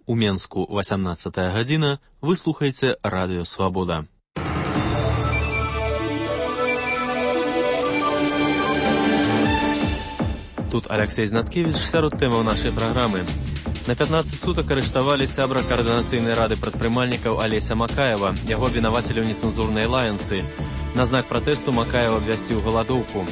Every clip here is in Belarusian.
У Менску 18 гадзіна, вы слухаеце Радыё Свабода. Тут Алексей Знаткевич сярод тэмаў нашай праграмы. На 15 сутак арыштавалі сябра каардынацыйнай рады прадпрымальнікаў Алеся Макаева, яго абвінавацілі ў нецэнзурнай лаянцы. На знак пратэсту Макаева абвясціў галадоўку.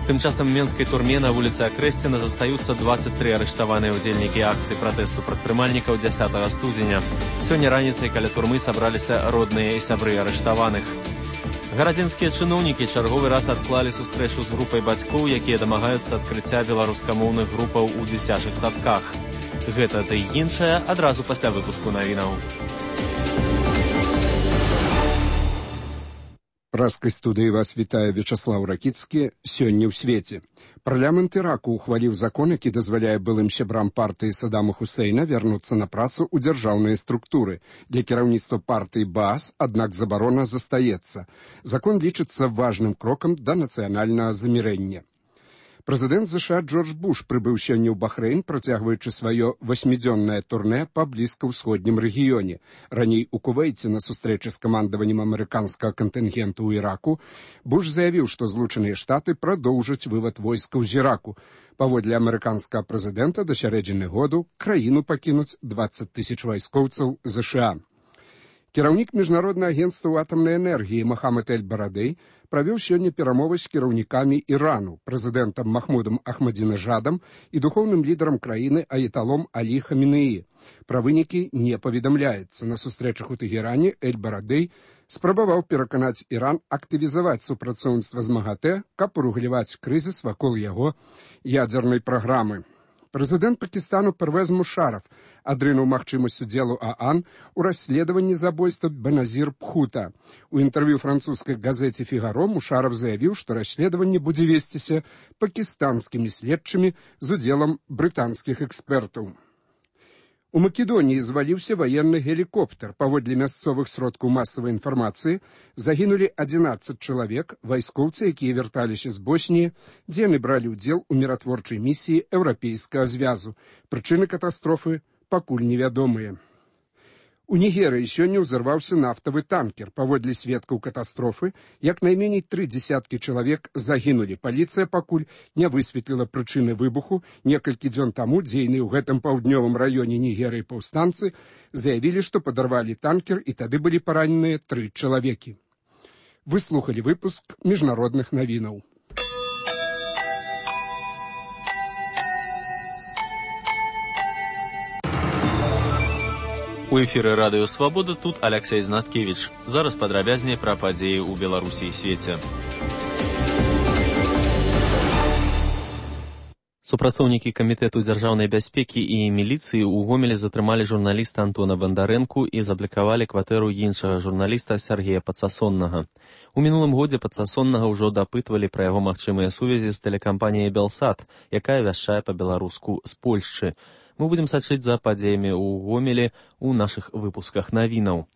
Тым часам у менскай турме на вуліцы Акрэсціна застаюцца 23 арыштаваныя ўдзельнікі акцыі пратэсту прадпрымальнікаў 10 студзеня. Сёння раніцай каля турмы сабраліся родныя і сябры арыштаваных. Гарадзенскія чыноўнікі чарговы раз адклалі сустрэчу з групай бацькоў, якія дамагаюцца адкрыцця беларускамоўных групаў у дзіцячых садках. Гэта ды іншае адразу пасля выпуску навінаў. Праскай студыі вас вітае Вячаслаў Ракіцкі. Сёння ў свеце. Парламент Іраку ухваліў закон, які дазваляе былым сябрам партыі Саддама Хусейна вярнуцца на працу ў дзяржаўныя структуры. Для кіраўніцтва партыі Баас, аднак забарона застаецца. Закон лічыцца важным крокам да нацыянальнага замірэння. Прэзідэнт США Джордж Буш прыбыў сёння ў Бахрэйн, працягваючы сваё 8-дзённае турнэ па блізкаўсходнім рэгіёне. Раней у Кувейце на сустрэчы з камандаваннем амерыканскага кантынгенту ў Іраку Буш заявіў, што Злучаныя Штаты прадоўжаць вывад войскаў з Іраку. Паводле амерыканскага прэзідэнта да сярэдзіны году краіну пакінуць 20 000 вайскоўцаў США. Кіраўнік Міжнароднага агенцтва атамнай энергіі Мохаммед Эль-Барадэй правёў сёння перамовы з кіраўнікамі Ірану, прэзідэнтам Махмудам Ахмадзінежадам і духоўным лідарам краіны аяталом Алі Хамінеі. Пра вынікі не паведамляецца. На сустрэчах у Тэгеране Эль-Барадэй спрабаваў пераканаць Іран актывізаваць супрацоўніцтва з МАГАТЭ, каб уругляваць крызіс вакол яго ядзернай праграмы. Прэзідэнт Пакістану Первез Мушараф адрынуў магчымасць удзелу ААН у расследаванні забойства Беназір Пхута. У інтэрв'ю французскай газеце «Фігаро» Мушараф заявіў, што расследаванне будзе весціся пакістанскімі следчымі з удзелам брытанскіх экспертаў. У Македоніі зваліўся ваенны гелікоптер. Паводле мясцовых сродкаў масавай інфармацыі загінулі 11 чалавек, вайскоўцы, якія вярталіся з Босніі, дзе яны бралі ўдзел у міратворчай місіі Еўрапейскага звязу. Прычыны катастрофы пакуль невядомыя. У Нігерыі сёння ўзарваўся нафтавы танкер. Паводле сведкаў катастрофы, як найменей 30 чалавек загінулі. Паліцыя пакуль не высветліла прычыны выбуху. Некалькі дзён таму дзейныя ў гэтым паўднёвым раёне Нігерыі паўстанцы заявілі, што падарвалі танкер, і тады былі параненыя 3 чалавекі. Вы слухалі выпуск міжнародных навінаў. У эфіры Радыё Свабода тут Алексей Знаткевич. Зараз падрабязней пра падзеі ў Беларусі і свеце. Супрацоўнікі камітэту дзяржаўнай бяспекі і міліцыі ў Гомелі затрымалі журналіста Антона Бандарэнку і заблакавалі кватэру іншага журналіста Сергея Пацасоннага. У мінулым годзе Пацасоннага ўжо дапытвалі пра яго магчымыя сувязі з тэлекампаніяй «Белсат», якая вяшчае па-беларуску з Польшчы. Мы будзем сачыць за падзеямі ў Гомелі ў нашых выпусках навінаў.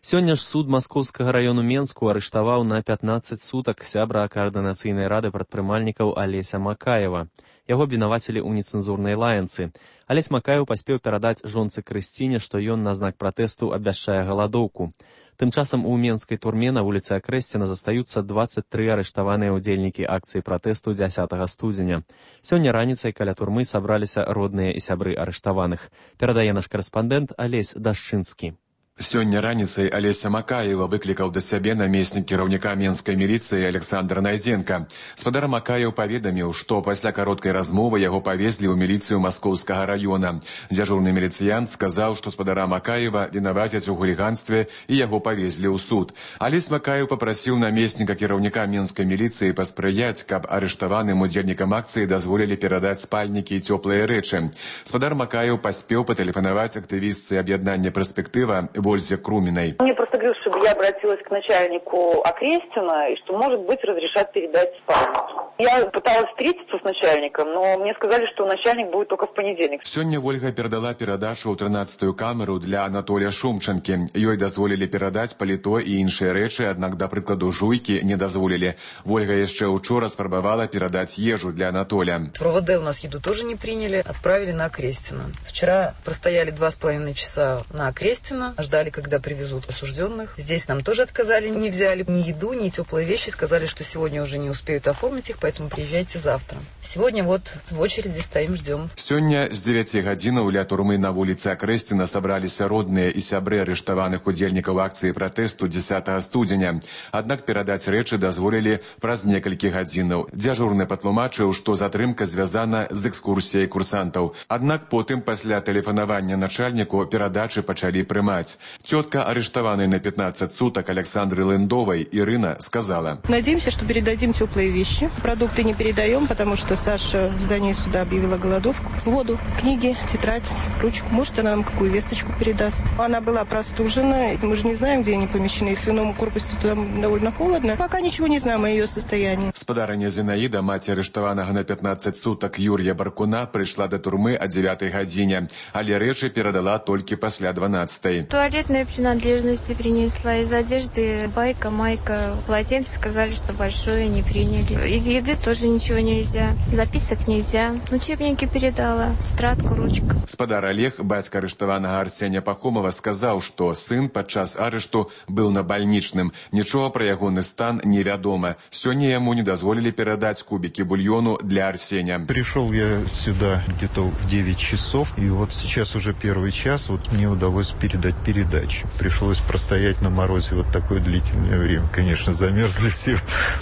Сёння ж суд Маскоўскага раёну Менску арыштаваў на 15 сутак сябра каардынацыйнай рады прадпрымальнікаў Алеся Макаева. Яго абвінавацілі ў нецэнзурнай лаянцы. Алесь Макаеў паспеў перадаць жонцы Крысціне, што ён на знак пратэсту абвяшчае галадоўку. Тым часам у менскай турме на вуліцы Акрэсціна застаюцца 23 арыштаваныя ўдзельнікі акцыі пратэсту 10 студзеня. Сёння раніцай каля турмы сабраліся родныя і сябры арыштаваных. Перадае наш карэспандэнт Алесь Дашчынскі. Сёння раніцай Алеся Макаева выклікаў да сябе намеснік кіраўніка менскай міліцыі Александр Найдзенка. Спадар Макаеў паведаміў, што пасля кароткай размовы яго павезлі ў міліцыю Маскоўскага раёна. Дзяжурны міліцыянт сказаў, што спадара Макаева вінавацяць у хуліганстве і яго павезлі ў суд. Алесь Макаеў папрасіў намесніка кіраўніка менскай міліцыі паспрыяць, каб арыштаваным удзельнікам акцыі дазволілі перадаць спальнікі і цёплыя рэчы. Спадар Макаеў паспеў патэлефанаваць актывістцы аб'яднання «Перспектыва» Вользе Крумінай. Мне просто говорил, что чтобы я обратилась к начальнику Окрестина, и что, может быть, разрешат передать спальню. Я пыталась встретиться с начальником, но мне сказали, что начальник будет только в понедельник. Сёння Ольга перадала перадачу ў 13-ю камеру для Анатолія Шумчанкі. Ёй дазволілі перадаць паліто і іншыя рэчы, аднак, да прыкладу, жуйкі не дазволілі. Ольга яшчэ учора спрабавала перадаць ежу для Анатоля. В РОВД у нас еду тоже не приняли, отправили на Окрестина. Вчера простояли 2,5 часа на Окрестина, ждали, когда привезут осужденных. Здесь нам тоже отказали, не взяли ни еду, ни теплые вещи, сказали, что сегодня уже не успеют оформить их, поэтому приезжайте завтра. Сегодня вот в очереди стоим, ждем. Сёння з 9 гадзінаў ля турмы на вуліцы Акрэсціна сабраліся родныя і сябры арыштаваных удзельнікаў акцыі пратэсту 10 студзеня. Аднак перадаць рэчы дазволілі праз некалькі гадзінаў. Дзяжурны патлумачыў, што затрымка звязана з экскурсіяй курсантаў. Аднак потым, пасля тэлефанавання начальніку, перадачы пачалі прымаць. Цётка арыштаванай на 15 суток Александры Лэндовой Ирина сказала: «Надеемся, что передадим теплые вещи. Продукты не передаем, потому что Саша в здании суда объявила голодовку. Воду, книги, тетрадь, ручку. Может, она нам какую весточку передаст. Она была простужена. Мы же не знаем, где они помещены. Если свиному корпусу там довольно холодно. Пока ничего не знаем о ее состоянии». Спадарыня Зинаида, маці арыштаванага на 15 суток Юрия Баркуна, прыйшла до турмы о 9 гадзіне, але рэчы перадала толькі пасля 12. Туалетные принадлежности принесла. Из одежды байка, майка, полотенце сказали, что большое не приняли. Из еды тоже ничего нельзя. Записок нельзя. Учебники передала. Тетрадку, ручку. Спадар Олег, бацька арыштаванага Арсения Пахомова, сказаў, што сын падчас арышту быў на бальнічным. Нічога пра ягоны стан невядома. Сёння яму не дазволілі перадаць кубики бульону для Арсения. Пришел я сюда где-то в 9 часов, и вот сейчас уже первый час, вот мне удалось передать передачу. Пришлось простоять на морозе вот такое длительное время. Конечно, замерзли все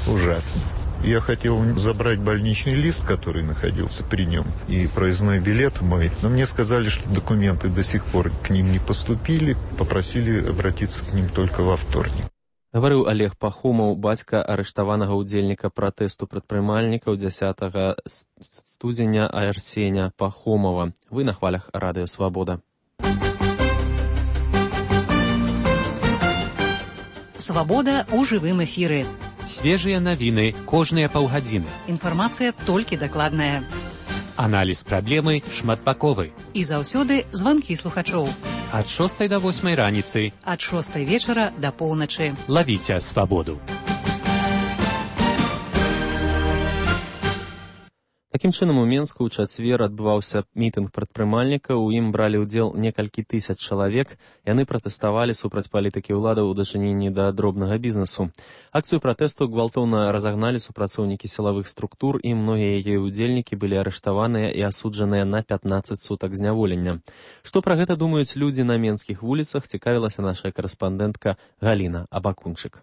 ужасно. Я хотел забрать больничный лист, который находился при нем, и проездной билет мой. Но мне сказали, что документы до сих пор к ним не поступили. Попросили обратиться к ним только во вторник. Гаварыў Олег Пахомаў, бацька арыштаванага удзельніка пратэсту прадпрымальнікаў 10 студзеня Арсеня Пахомова. Вы на хвалях Радыё Свабода. Свабода ў жывым эфіры. Свежыя навіны кожныя паўгадзіны. Інфармацыя толькі дакладная. Аналіз праблемы шматбаковы. І заўсёды званкі слухачоў. Ад 6 до 8 раніцы. Ад 6 вечара да поўначы. Лавіце свабоду. Такім чынам, у Менску ў чацвер адбываўся мітынг прадпрымальнікаў. У ім бралі ўдзел некалькі тысяч чалавек. Яны пратэставалі супраць палітыкі ўладаў у дачыненні да дробнага бізнесу. Акцыю пратэсту гвалтоўна разагналі супрацоўнікі сілавых структур, і многія яе ўдзельнікі былі арыштаваныя і асуджаныя на 15 сутак зняволення. Што пра гэта думаюць людзі на менскіх вуліцах, цікавілася наша корэспандэнтка Галіна Абакунчык.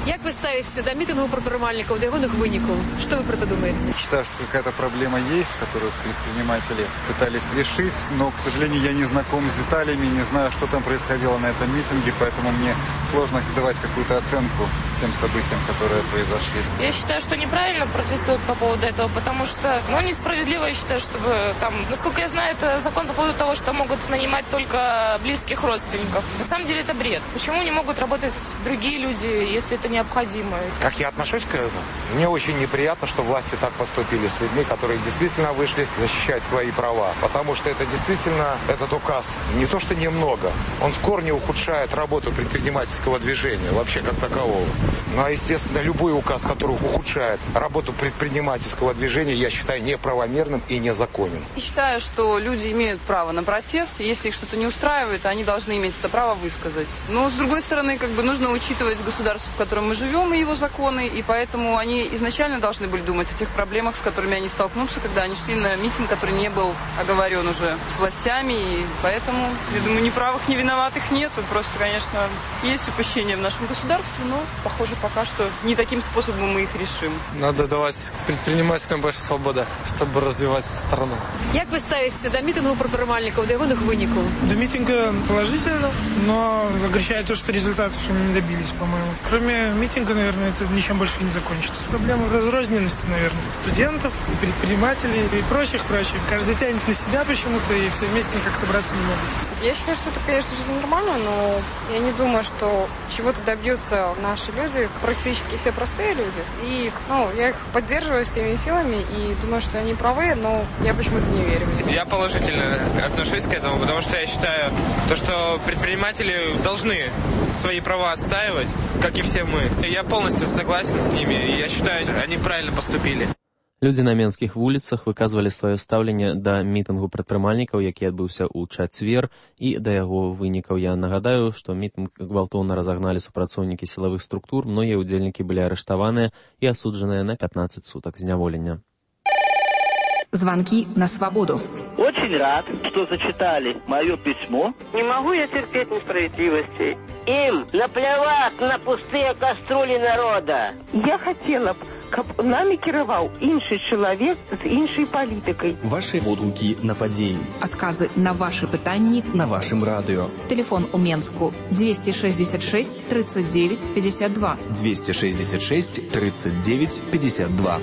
Як вы ставитесь до митингов предпринимателей, до ягоных выников? Что вы про это думаете? Считаю, что какая-то проблема есть, которую предприниматели пытались решить, но, к сожалению, я не знаком с деталями, не знаю, что там происходило на этом митинге, поэтому мне сложно давать какую-то оценку тем событиям, которые произошли. Я считаю, что неправильно протестуют по поводу этого, потому что, несправедливо, я считаю, чтобы там, насколько я знаю, это закон по поводу того, что могут нанимать только близких родственников. На самом деле это бред. Почему не могут работать другие люди, если это необходимо? Как я отношусь к этому? Мне очень неприятно, что власти так поступили с людьми, которые действительно вышли защищать свои права. Потому что это действительно, этот указ не то что немного, он в корне ухудшает работу предпринимательского движения, вообще как такового. Ну а естественно, любой указ, который ухудшает работу предпринимательского движения, я считаю неправомерным и незаконным. Я считаю, что люди имеют право на протест. Если их что-то не устраивает, они должны иметь это право высказать. Но с другой стороны, нужно учитывать государство, в котором мы живем, и его законы, и поэтому они изначально должны были думать о тех проблемах, с которыми они столкнутся, когда они шли на митинг, который не был оговорен уже с властями, и поэтому, я думаю, ни правых, ни виноватых нет. Просто, конечно, есть упущения в нашем государстве, но, похоже, пока что не таким способом мы их решим. Надо давать предпринимателям больше свободы, чтобы развивать страну. Як вы ставитесь до митингов предпринимателей, до ягоных выников? До митинга положительно, но огорчает то, что результатов мы не добились, по-моему. Кроме митинга, наверное, это ничем больше не закончится. Проблема разрозненности, наверное, студентов, предпринимателей и прочих. Каждый тянет на себя почему-то, и все вместе никак собраться не могут. Я считаю, что это, конечно же, нормально, но я не думаю, что чего-то добьются наши люди, практически все простые люди. И я их поддерживаю всеми силами и думаю, что они правы, но я почему-то не верю. Я положительно отношусь к этому, потому что я считаю, что предприниматели должны свои права отстаивать, как и все мы. Я полностью согласен с ними, и я считаю, они правильно поступили. Людзі на менскіх вуліцах выказвалі сваё стаўленне да мітынгу прадпрымальнікаў, які адбыўся ў чацвер, і да яго вынікаў. Я нагадаю, што мітынг гвалтоўна разагналі супрацоўнікі сілавых структур, многія ўдзельнікі былі арыштаваныя і асуджаныя на 15 сутак зняволення. Звонки на свободу. Очень рад, что зачитали мое письмо. Не могу я терпеть несправедливости. Им наплевать на пустые кастрюли народа. Я хотела б, каб нами кіраваў іншы чалавек з іншай палітыкай. Ваши водгукі на падзеі. Адказы на ваши пытанні на вашым радыё. Телефон у Менску 266 39 52. 266 39 52.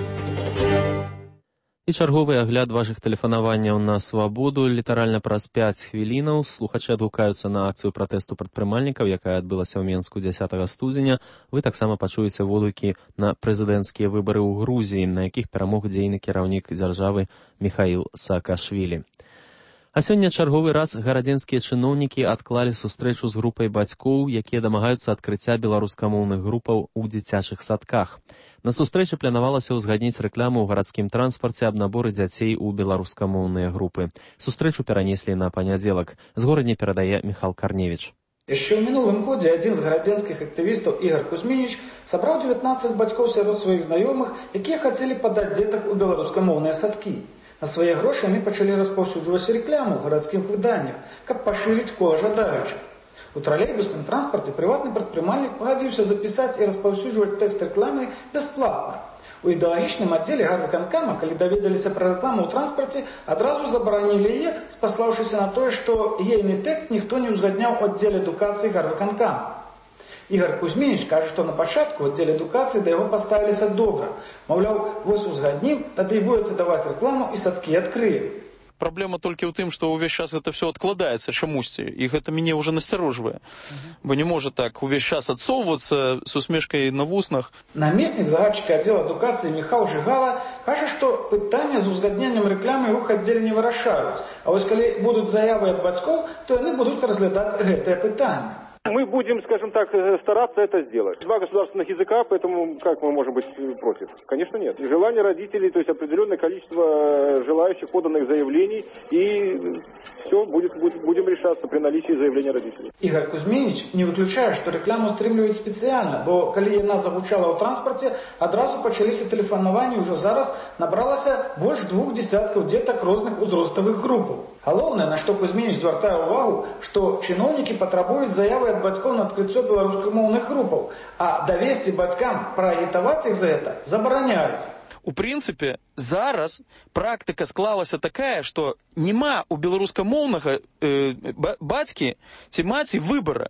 І чарговы агляд вашых тэлефанаванняў на свабоду. Літаральна праз 5 хвілінаў слухачы адгукаюцца на акцыю пратэсту прадпрымальнікаў, якая адбылася ў Менску 10 студзеня. Вы таксама пачуеце водгукі на прэзідэнцкія выбары ў Грузіі, на якіх перамог дзейны кіраўнік дзяржавы Міхаіл Саакашвілі. А сёння чарговы раз гарадзенскія чыноўнікі адклалі сустрэчу з групай бацькоў, якія дамагаюцца адкрыцця беларускамоўных групаў у дзіцячых садках. На сустрэчы планавалася ўзгадніць рэкламу ў гарадскім транспарце аб наборы дзяцей у беларускамоўныя групы. Сустрэчу перанеслі на панядзелак. З горадні перадае Міхал Карневіч. Яшчэ ў мінулым годзе адзін з гарадзенскіх актывістаў Ігар Кузьмініч сабраў 19 бацькоў сярод сваіх знаёмых, якія хацелі падаць дзетак у беларускамоўныя садкі. На свае грошы яны пачалі распаўсюджваць рэкламу ў гарадскіх выданнях, каб пашырыць кола жадаючых. У тралейбусным транспарце прыватны прадпрымальнік пагадзіўся запісаць і распаўсюджваць тэкст рэкламы бясплатна. У ідэалагічным аддзеле гарвыканкама, калі даведаліся пра рэкламу ў транспарце, адразу забаранілі яе, спаслаўшыся на тое, што ейны тэкст ніхто не ўзгадняў у аддзеле адукацыі гарвыканкама. Ігар Кузьмініч кажа, што на пачатку ў аддзеле адукацыі да яго паставіліся добра. Маўляў, вось узгаднім, тады і будзе даваць рэкламу і садкі адкрыем. Праблема толькі ў тым, што ўвесь час гэта все адкладаецца чамусьці, і гэта мяне ўжо насцярожвае. Бо не можа так увесь час адсоўвацца з усмешкай на вуснах. Намеснік загадчыка аддзела адукацыі Міхал Жыгала кажа, што пытанне з узгадненнем рэкламы ў іх аддзеле не вырашаюць. А вось калі будуць заявы ад бацькоў, то яны будуць разглядаць гэтае пытанне. Мы будем, скажем так, стараться это сделать. Два государственных языка, поэтому как мы можем быть против? Конечно, нет. Желание родителей, то есть определенное количество желающих поданных заявлений, и все будем решаться при наличии заявления родителей. Ігар Кузьмініч не выключае, што рэкламу стрымліваюць спецыяльна, бо калі яна загучала ў транспарце, адразу пачаліся тэлефанаванні, ўжо зараз набралася больш 2 десяткаў дзетак розных узроставых групаў. Галоўнае, на што Кузьмініч звяртае ўвагу, што чыноўнікі патрабуюць заявы ад бацькоў на адкрыццё беларускамоўных групаў, а давесці бацькам праагітаваць іх за гэта забараняюць. У прынцыпе, зараз практыка склалася такая, што няма у беларускамоўнага бацькі ці маці выбара,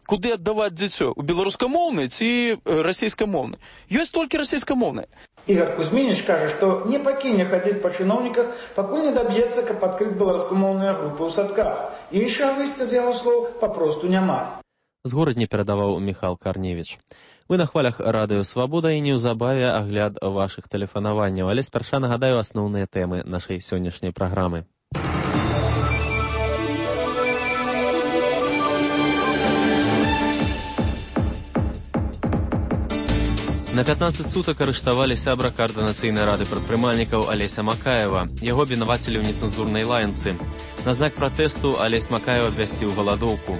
куды аддаваць дзіцё, у беларускамоўнай ці расейскамоўнай. Ёсць толькі расейскамоўнай. Ігар Кузьмініч кажа, што не пакіне хадзіць па чыноўніках, пакуль не даб'ецца, каб адкрыць беларускамоўныя групы ў садках. Іншага выйсця з яго слоў папросту няма. З горадні перадаваў Міхал Карневіч. Вы на хвалях радыё «Свабода» і неўзабаве агляд вашых тэлефанаванняў, але спярша нагадаю асноўныя тэмы нашай сённяшняй праграмы. На 15 сутак арыштавалі сябра каардынацыйнай рады прадпрымальнікаў Алеся Макаева. Яго абвінавацілі ў нецэнзурнай лаянцы. На знак пратэсту Алесь Макаеў абвясціў галадоўку.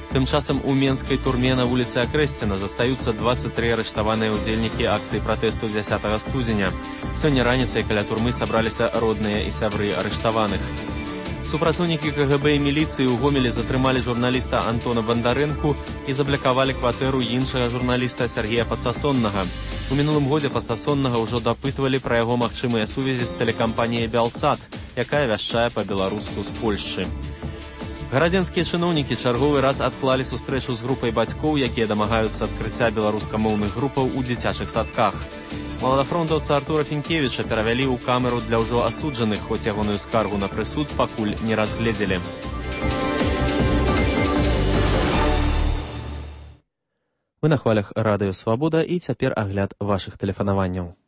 Тым часам у менскай турме на вуліцы Акрэсціна застаюцца 23 арыштаваныя ўдзельнікі акцыі пратэсту 10 студзеня. Сёння раніцай каля турмы сабраліся родныя і сябры арыштаваных. Супрацоўнікі КГБ і міліцыі ў Гомелі затрымалі журналіста Антона Бандарэнку і заблякавалі кватэру іншага журналіста Сергея Пацасоннага. У мінулым годзе Пацасоннага ўжо дапытвалі пра яго магчымыя сувязі з тэлекампаніяй «Белсат», якая вяшчае па-беларуску з Польшчы. Гарадзенскія чыноўнікі чарговы раз адклалі сустрэчу з групай бацькоў, якія дамагаюцца адкрыцця беларускамоўных групаў у дзіцячых садках. Маладафронтаўца Артура Фінкевіча перавялі ў камеру для ўжо асуджаных, хоць ягоную скаргу на прысуд пакуль не разгледзелі. Вы на хвалях радыё «Свабода» і цяпер агляд вашых тэлефанаванняў.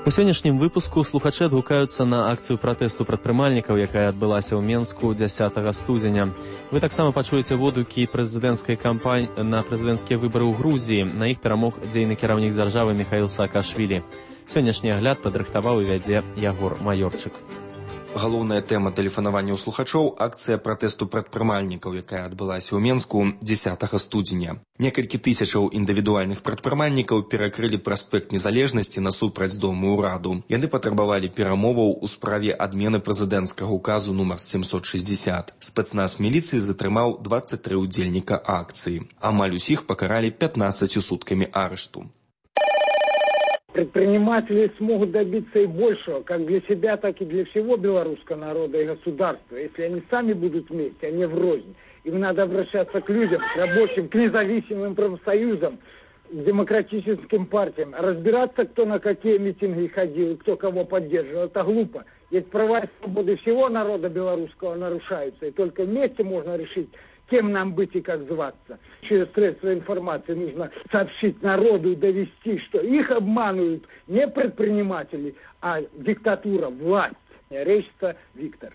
У сённяшнім выпуску слухачы адгукаюцца на акцыю пратэсту прадпрымальнікаў, якая адбылася ў Менску 10 студзеня. Вы таксама пачуеце водгукі прэзідэнцкай кампаніі на прэзідэнцкія выбары ў Грузіі. На іх перамог дзейны кіраўнік дзяржавы Міхаіл Саакашвілі. Сённяшні агляд падрыхтаваў і вядзе Ягор Маёрчык. Галоўная тэма тэлефанавання ў слухачоў – акцыя пратэсту прадпрымальнікаў, якая адбылася ў Менску 10 студзеня. Некалькі тысячаў індывідуальных прадпрымальнікаў перакрылі праспект Незалежнасці насупраць дому ўраду. Яны патрабавалі перамоваў у справе адмены прэзідэнцкага указу нумар 760. Спецназ міліцыі затрымаў 23 удзельніка акцыі. Амаль усіх пакаралі 15 суткамі арышту. Предприниматели смогут добиться и большего, как для себя, так и для всего белорусского народа и государства. Если они сами будут вместе, а не врознь. Им надо обращаться к людям, к рабочим, к независимым профсоюзам, к демократическим партиям. Разбираться, кто на какие митинги ходил, кто кого поддерживал, это глупо. Ведь права и свободы всего народа белорусского нарушаются. И только вместе можно решить, кем нам быть и как зваться. Через средства информации нужно сообщить народу и довести, что их обманывают не предприниматели, а диктатура, власть. Речится Виктор.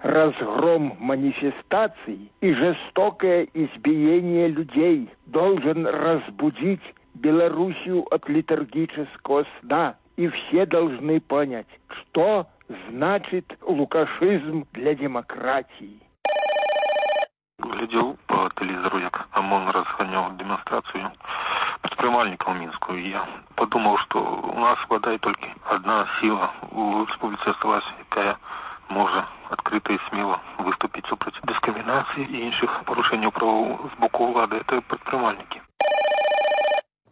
Разгром манифестаций и жестокое избиение людей должен разбудить Белоруссию от литургического сна. И все должны понять, что значит лукашизм для демократии. Глядел по телевизору, як ОМОН разгонял демонстрацию предпринимальников в Минску. И я подумал, что у нас хватает только одна сила у республики осталась, якая может открыто и смело выступить супротив дискриминации и інших порушений прав с боку влады. Это предпринимальники.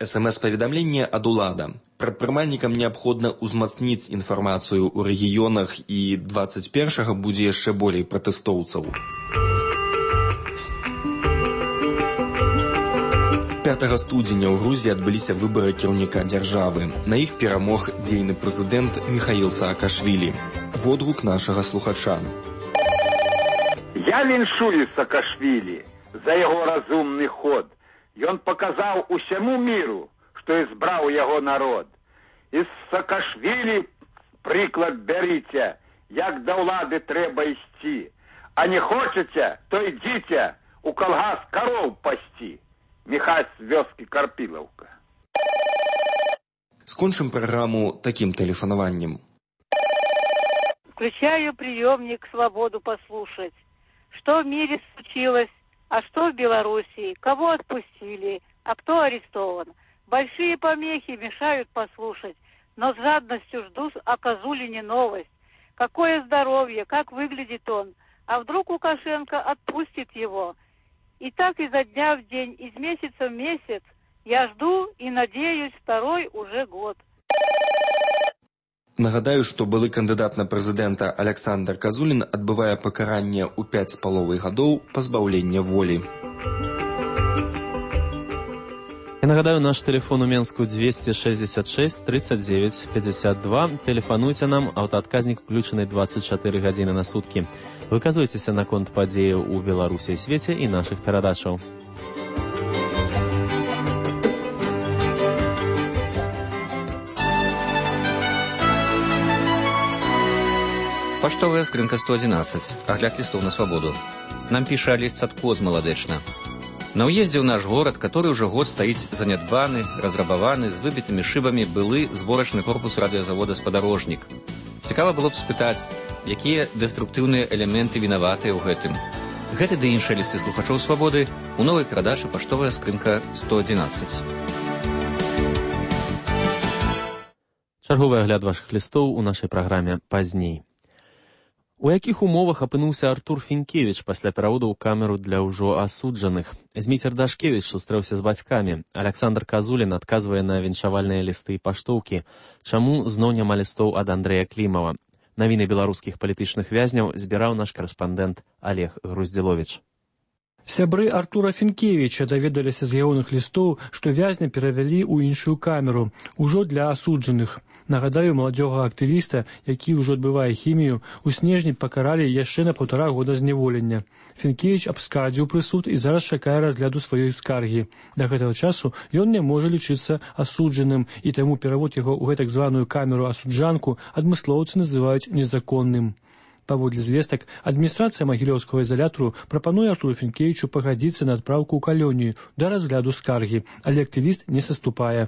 СМС-паведамленне ад улада. Прадпрымальнікам неабходна ўзмацніць інфармацыю ў рэгіёнах, і 21-га будзе яшчэ болей пратэстоўцаў. 5 студзеня ў Грузіі адбыліся выбары кіраўніка дзяржавы. На іх перамог дзейны прэзідэнт Міхаіл Саакашвілі. Водгук нашага слухача. Я віншую Саакашвілі за яго разумны ход. Ён паказаў усяму міру, што избраў яго народ. І з Саакашвілі прыклад бярыце, як да ўлады трэба ісці. А не хочаце, то ідзіце у калгас кароў пасці. Михась з вёскі Карпілаўка. Скончым праграму таким тэлефанаваннем. Включаю приемник «Свободу» послушать. Что в мире случилось, а что в Белоруссии, кого отпустили, а кто арестован. Большие помехи мешают послушать, но с жадностью жду о Козулине новость. Какое здоровье, как выглядит он, а вдруг Лукашенко отпустит его. И так изо дня в день, из месяца в месяц я жду и надеюсь второй уже год. Нагадаю, што былы кандыдат на прэзідэнта Александр Казулін адбывае пакаранне ў 5,5 гадоў пазбаўлення волі. Я нагадаю, наш тэлефон у Менску 266 39 52. Тэлефануйце нам, аўтаадказнік включаны 24 гадзіны на суткі. Выказвайцеся наконт падзеяў у Беларусі і свеце і нашых перадачаў. Паштовая скрынка 111. Агляд лістов на свабоду. Нам піша Алесь Цатко з Маладэчна. На ўездзе ў наш горад, который уже год стаіць занядбаны, разрабаваны, з выбітымі шыбамі былы зборачны корпус радыёзавода «Спадарожнік». Цікава было б спытаць, якія дэструктыўныя элементы вінаватыя ў гэтым. Гэты ды іншыя лісты слухачоў свабоды у новай перадачы «Паштовая скрынка 111». Чарговы агляд вашых лістоў у нашай праграме пазней. У якіх умовах апынуўся Артур Фінкевіч пасля пераводу ў камеру для ўжо асуджаных? Зміцер Дашкевіч сустрэўся з бацькамі. Александр Казулін адказвае на віншавальныя лісты і паштоўкі. Чаму зноў няма лістоў ад Андрэя Клімава? Навіны беларускіх палітычных вязняў збіраў наш карэспандэнт Олег Груздзіловіч. Сябры Артура Фінкевіча даведаліся з ягоных лістоў, што вязня перавялі ў іншую камеру, ужо для асуджаных. Нагадаю, маладзёга актывіста, які ўжо адбывае хімію, у снежні пакаралі яшчэ на 1,5 года зняволення. Фінкевіч абскардзіў прысуд і зараз чакае разгляду сваёй скаргі. Да гэтага часу ён не можа лічыцца асуджаным, і таму перавод яго ў гэтак званую камеру-асуджанку адмыслоўцы называюць незаконным. Паводле звестак, адміністрацыя магілёўскага изолятару прапануе Артуру Фінкевічу пагадзіцца на адпраўку ў калонію да разгляду скаргі, але актывіст не саступае.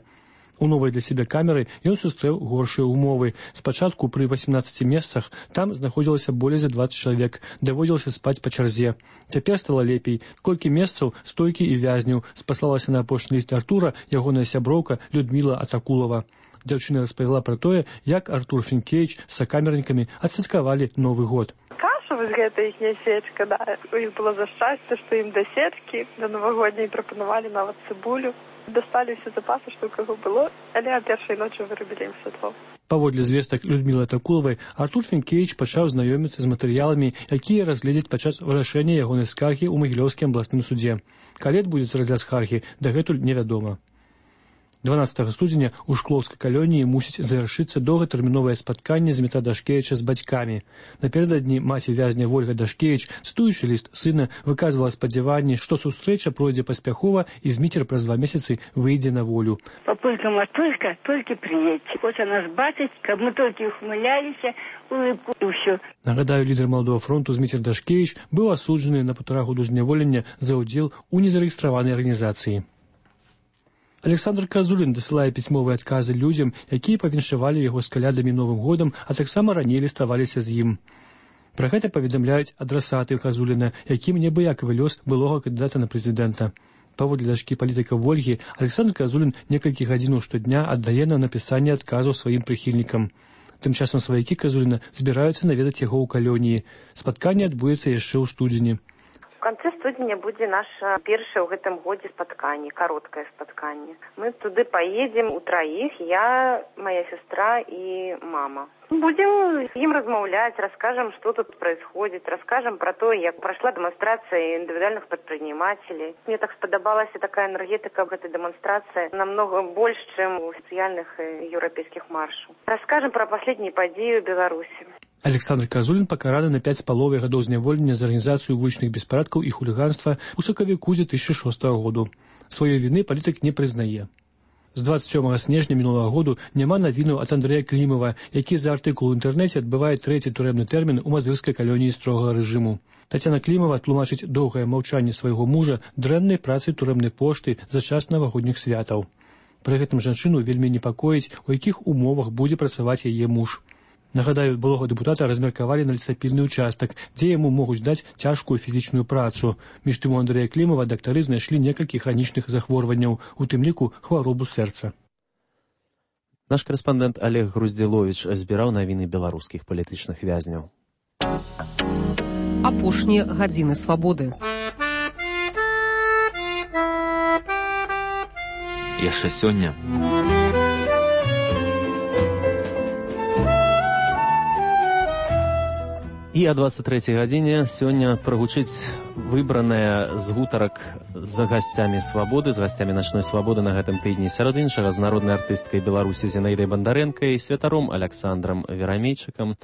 У новай для сябе камеры ён сустрэў горшыя умовы. Спачатку пры 18 месцах там знаходзілася болей за 20 чалавек, даводзілася спаць па чарзе. Цяпер стала лепей. Колькі месцаў, столькі і вязняў, спаслалася на апошні ліст Артура ягоная сяброўка Людміла Ацакулова. Дзяўчына распавяла пра тое, як Артур Фінкевіч з сакамернікамі адсвяткавалі Новы год. Каша, вось гэта іхняя свечка, да. У іх было за шчасце, што ім да сечкі, да навагодняй прапанавалі нават цыбулю. Дасталі ўсе запасы, што ў каго было, але а першай ночы вырабілі ім святло. Паводле звестак Людмілы Атакулавай, Артур Фінкевіч пачаў знаёміцца з матэрыяламі, якія разгледзяць падчас вырашэння ягонай скаргі ў Магілёўскім абласным судзе. Калі адбудзецца разгляд скаргі, дагэтуль невядома. 12 студзеня ў шклоўскай калоніі мусіць завяршыцца доўгатэрміновае спатканне Змітра Дашкевіча з бацькамі. Напярэдадні маці вязня Вольга Дашкевіч, цытуючы ліст сына, выказвала спадзяванне, што сустрэча пройдзе паспяхова і Зміцер праз 2 месяцы выйдзе на волю. Папулька, матулька, толькі прыедьце. Хоча нас бачыць, каб мы толькі ухмыляліся, улыбку і ўсё. Нагадаю, лідар Маладога фронту Зміцер Дашкевіч быў асуджаны на 1,5 года зняволення за ўдзел у незарэгістраванай арганізацыі. Александр Казулін дасылае пісьмовыя адказы людзям, якія павіншавалі яго з калядамі Новым годам, а таксама раней ліставаліся з ім. Пра гэта паведамляюць адрасаты Казуліна, якім неабыякавы лёс былога кандыдата на прэзідэнта. Паводле дачкі палітыка Вольгі, Александр Казулін некалькі гадзінаў штодня аддае на напісанне адказаў сваім прыхільнікам. Тым часам сваякі Казуліна збіраюцца наведаць яго ў калоніі. Спатканне адбудзецца яшчэ ў студзені. У канцы студзеня будзе наша першае ў гэтым годзе спатканне, кароткае спатканне. Мы туды паедзем утраіх, я, моя сестра і мама. Будем им размаўляць, расскажем, что тут происходит, расскажем про то, як прошла демонстрация индивидуальных предпринимателей. Мне так сподобалась такая энергетика в этой демонстрации намного больше, чем у официальных европейских маршаў. Расскажем про последние подеи в Беларуси. Александр Казулін пакараны на 5,5 гадоў зняволення за арганізацыю вулічных беспарадкаў і хуліганства ў сакавіку 2006 году. Сваёй віны палітык не прызнае. З 27 снежня мінулага году няма навінаў ад Андрэя Клімава, які за артыкул у інтэрнэце адбывае 3-й турэмны тэрмін у мазырскай калоніі строгага рэжыму. Тацяна Клімава тлумачыць доўгае маўчанне свайго мужа дрэннай працай турэмнай пошты за час навагодніх святаў. Пры гэтым жанчыну вельмі непакоіць, у якіх умовах будзе працаваць яе муж. Нагадаю, былога дэпутата размеркавалі на лесапільны ўчастак, дзе яму могуць даць цяжкую фізічную працу. Між тым у Андрэя Клімава дактары знайшлі некалькі хранічных захворванняў, у тым ліку хваробу сэрца. Наш корэспандэнт Олег Груздзіловіч збіраў навіны беларускіх палітычных вязняў. Апошнія гадзіны свабоды. Яшчэ сёння І о 23-й гадзіне сёння прагучыць выбраная з гутарак з гасцямі свабоды, з гасцямі начной свабоды на гэтым тыдні. Сярод іншага з народнай артысткай Беларусі Зінаідай Бандарэнкай, святаром Аляксандрам Верамейчыкам,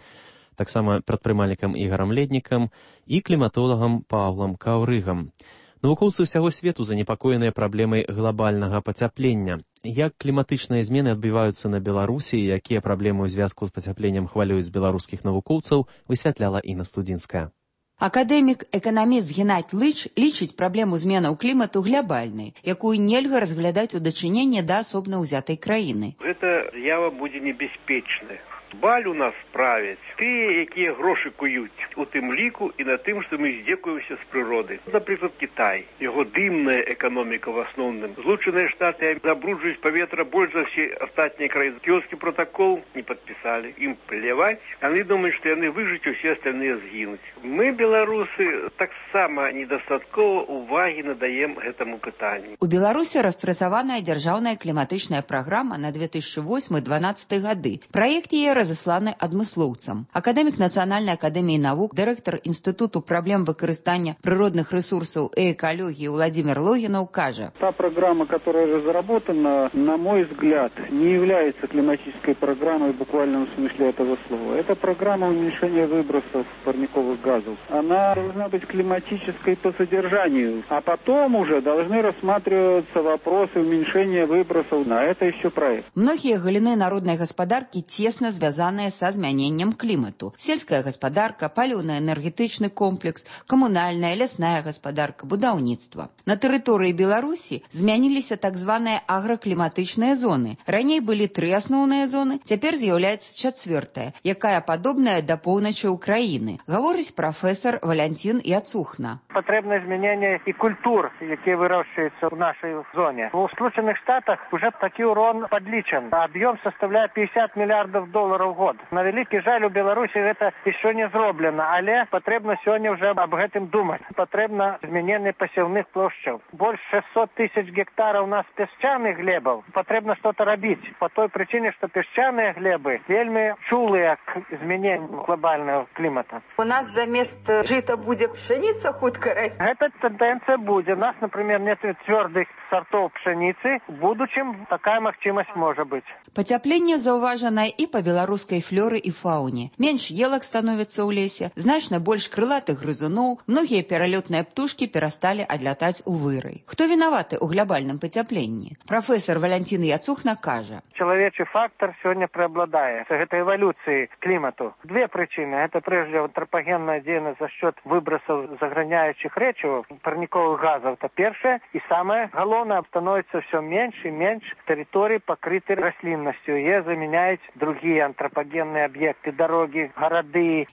таксама прадпрымальнікам Ігарам Леднікам і кліматолагам Паўлам Каўрыгам. Навукоўцы ўсяго свету занепакоеныя праблемай глобальнага пацяплення. Як кліматычныя змены адбіваюцца на Беларусі і якія праблемы ў звязку з пацяпленнем хвалююць беларускіх навукоўцаў, высвятляла Інна Студзінская. Акадэмік-эканаміст Геннадзь Лыч лічыць праблему зменаў клімату глобальнай, якую нельга разглядаць у дачыненні да асобна ўзятай краіны. Гэта з'ява будзе небяспечная. Баль у нас правяць тыя, якія грошы куюць, у тым ліку і на тым, што мы здзекуемся з прыроды. Напрыклад, Кітай. Яго дымная эканоміка в асноўным. Злучаныя Штаты забруджваюць паветра больш за ўсе астатнія краіны. Кіёцкі протакол не падпісалі. Ім пляваць. Яны думаюць, што яны выжыць, усе астальныя згінуць. Мы, беларусы, таксама недастаткова увагі надаем гэтаму пытанню. У Беларусі распрацаваная дзяржаўная кліматычная праграма на 2008-2012 гады. Праект яе разасланы адмыслоўцам. Акадэмік Нацыянальнай акадэміі навук, дырэктар Інстытуту праблем выкарыстання прыродных ресурсаў и экологии Владимир Логинов кажа. Та программа, которая разработана, на мой взгляд, не является климатической программой в буквальном смысле этого слова. Это программа уменьшения выбросов парниковых газов. Она должна быть климатической по содержанию, а потом уже должны рассматриваться вопросы уменьшения выбросов. На это еще проект. Многие галины народной господарки тесно связанные со изменением климату. Сельская господарка, паліўна-энергетычны комплекс, коммунальная, лясная господарка, будаўніцтва. На тэрыторыі Беларусі змяніліся так званыя агракліматычныя зоны. Раней былі 3 асноўныя зоны, цяпер з'яўляецца 4-я, якая падобная да поўначы Украіны, гаворыць прафесор Валянцін Яцухна. Патрэбна змянение и культур, якія выращиваются в нашей зоне. В Сполучених Штатах уже такі урон подлічен. Объем составляет $50 миллиардов в год. На великий жаль, у Беларусі это еще не зроблено, але патрэбна сегодня уже об гэтым думать. Патрэбна змянение посевных площадь. Больше 600 тысяч гектаров у нас песчаных глебов. Патрэбна что-то робить. По той причине, что песчаные глебы вельми чулые к изменению глобального климата. У нас замест жита будет пшеница хутка расти. Эта тенденция будет. У нас, например, нет твердых сортов пшеницы. В будущем такая магчимость может быть. Пацяпленне заўважанае і па беларускай флоры і фауне. Менш елак становіцца ў лесе, значна больш крылатых грызуноў, многія пералётныя птушкі перасталі адлятаць у вырай. Хто вінаваты ў глобальным пацяпленні? Прафесор Валянцін Яцухна кажа. Человечий фактор сегодня преобладает. Это эволюции климату. 2 причины. Это прежде антропогенная деятельность за счет выбросов загрязняющих речевых парниковых газов. Это первое. И самое головное, становится все меньше и меньше территорий, покрытых рослинностью. И заменяют другие антропогенные объекты, дороги, города.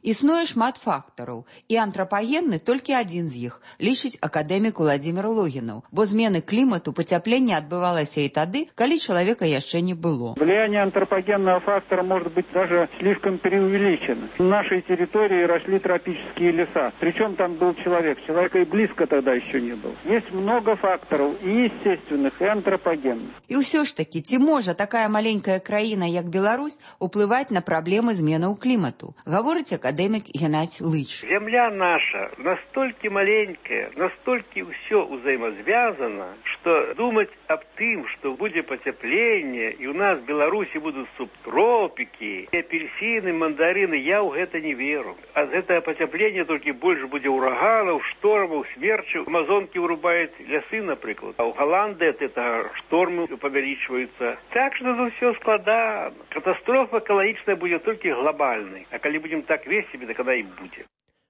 Існуе шмат фактараў. І антропагенны толькі адзін з іх, лічыць акадэмік Владимир Логинов. Бо змены клімату, пацяпленне адбывалася і тады, калі чалавека яшчэ не было. Влияние антропогенного фактора может быть даже слишком преувеличено. В нашей территории росли тропические леса. Причем там был человек. Человека и близко тогда еще не было. Есть много факторов, и естественных, и антропогенных. І ўсё ж таки, ці можа такая маленькая краіна, як Беларусь, уплываць на праблемы зменаў клімату? Гаворыць акадэмік Геннадзь Лыч. Земля наша настолько маленькая, настолько все взаимосвязано, что думать об тем, что будет потепление, и у нас в Беларуси будут субтропики, апельсины, мандарины, я в это не верю. А за это потепление только больше будет ураганов, штормов, смерчев. Амазонки вырубают лесы, например. А у Голландии это штормы повеличиваются. Так что тут все складно. Катастрофа экологичная будет только глобальной. А когда будем так вести, то когда и будет.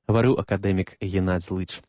Говорю акадэмік Геннадзь Лыч.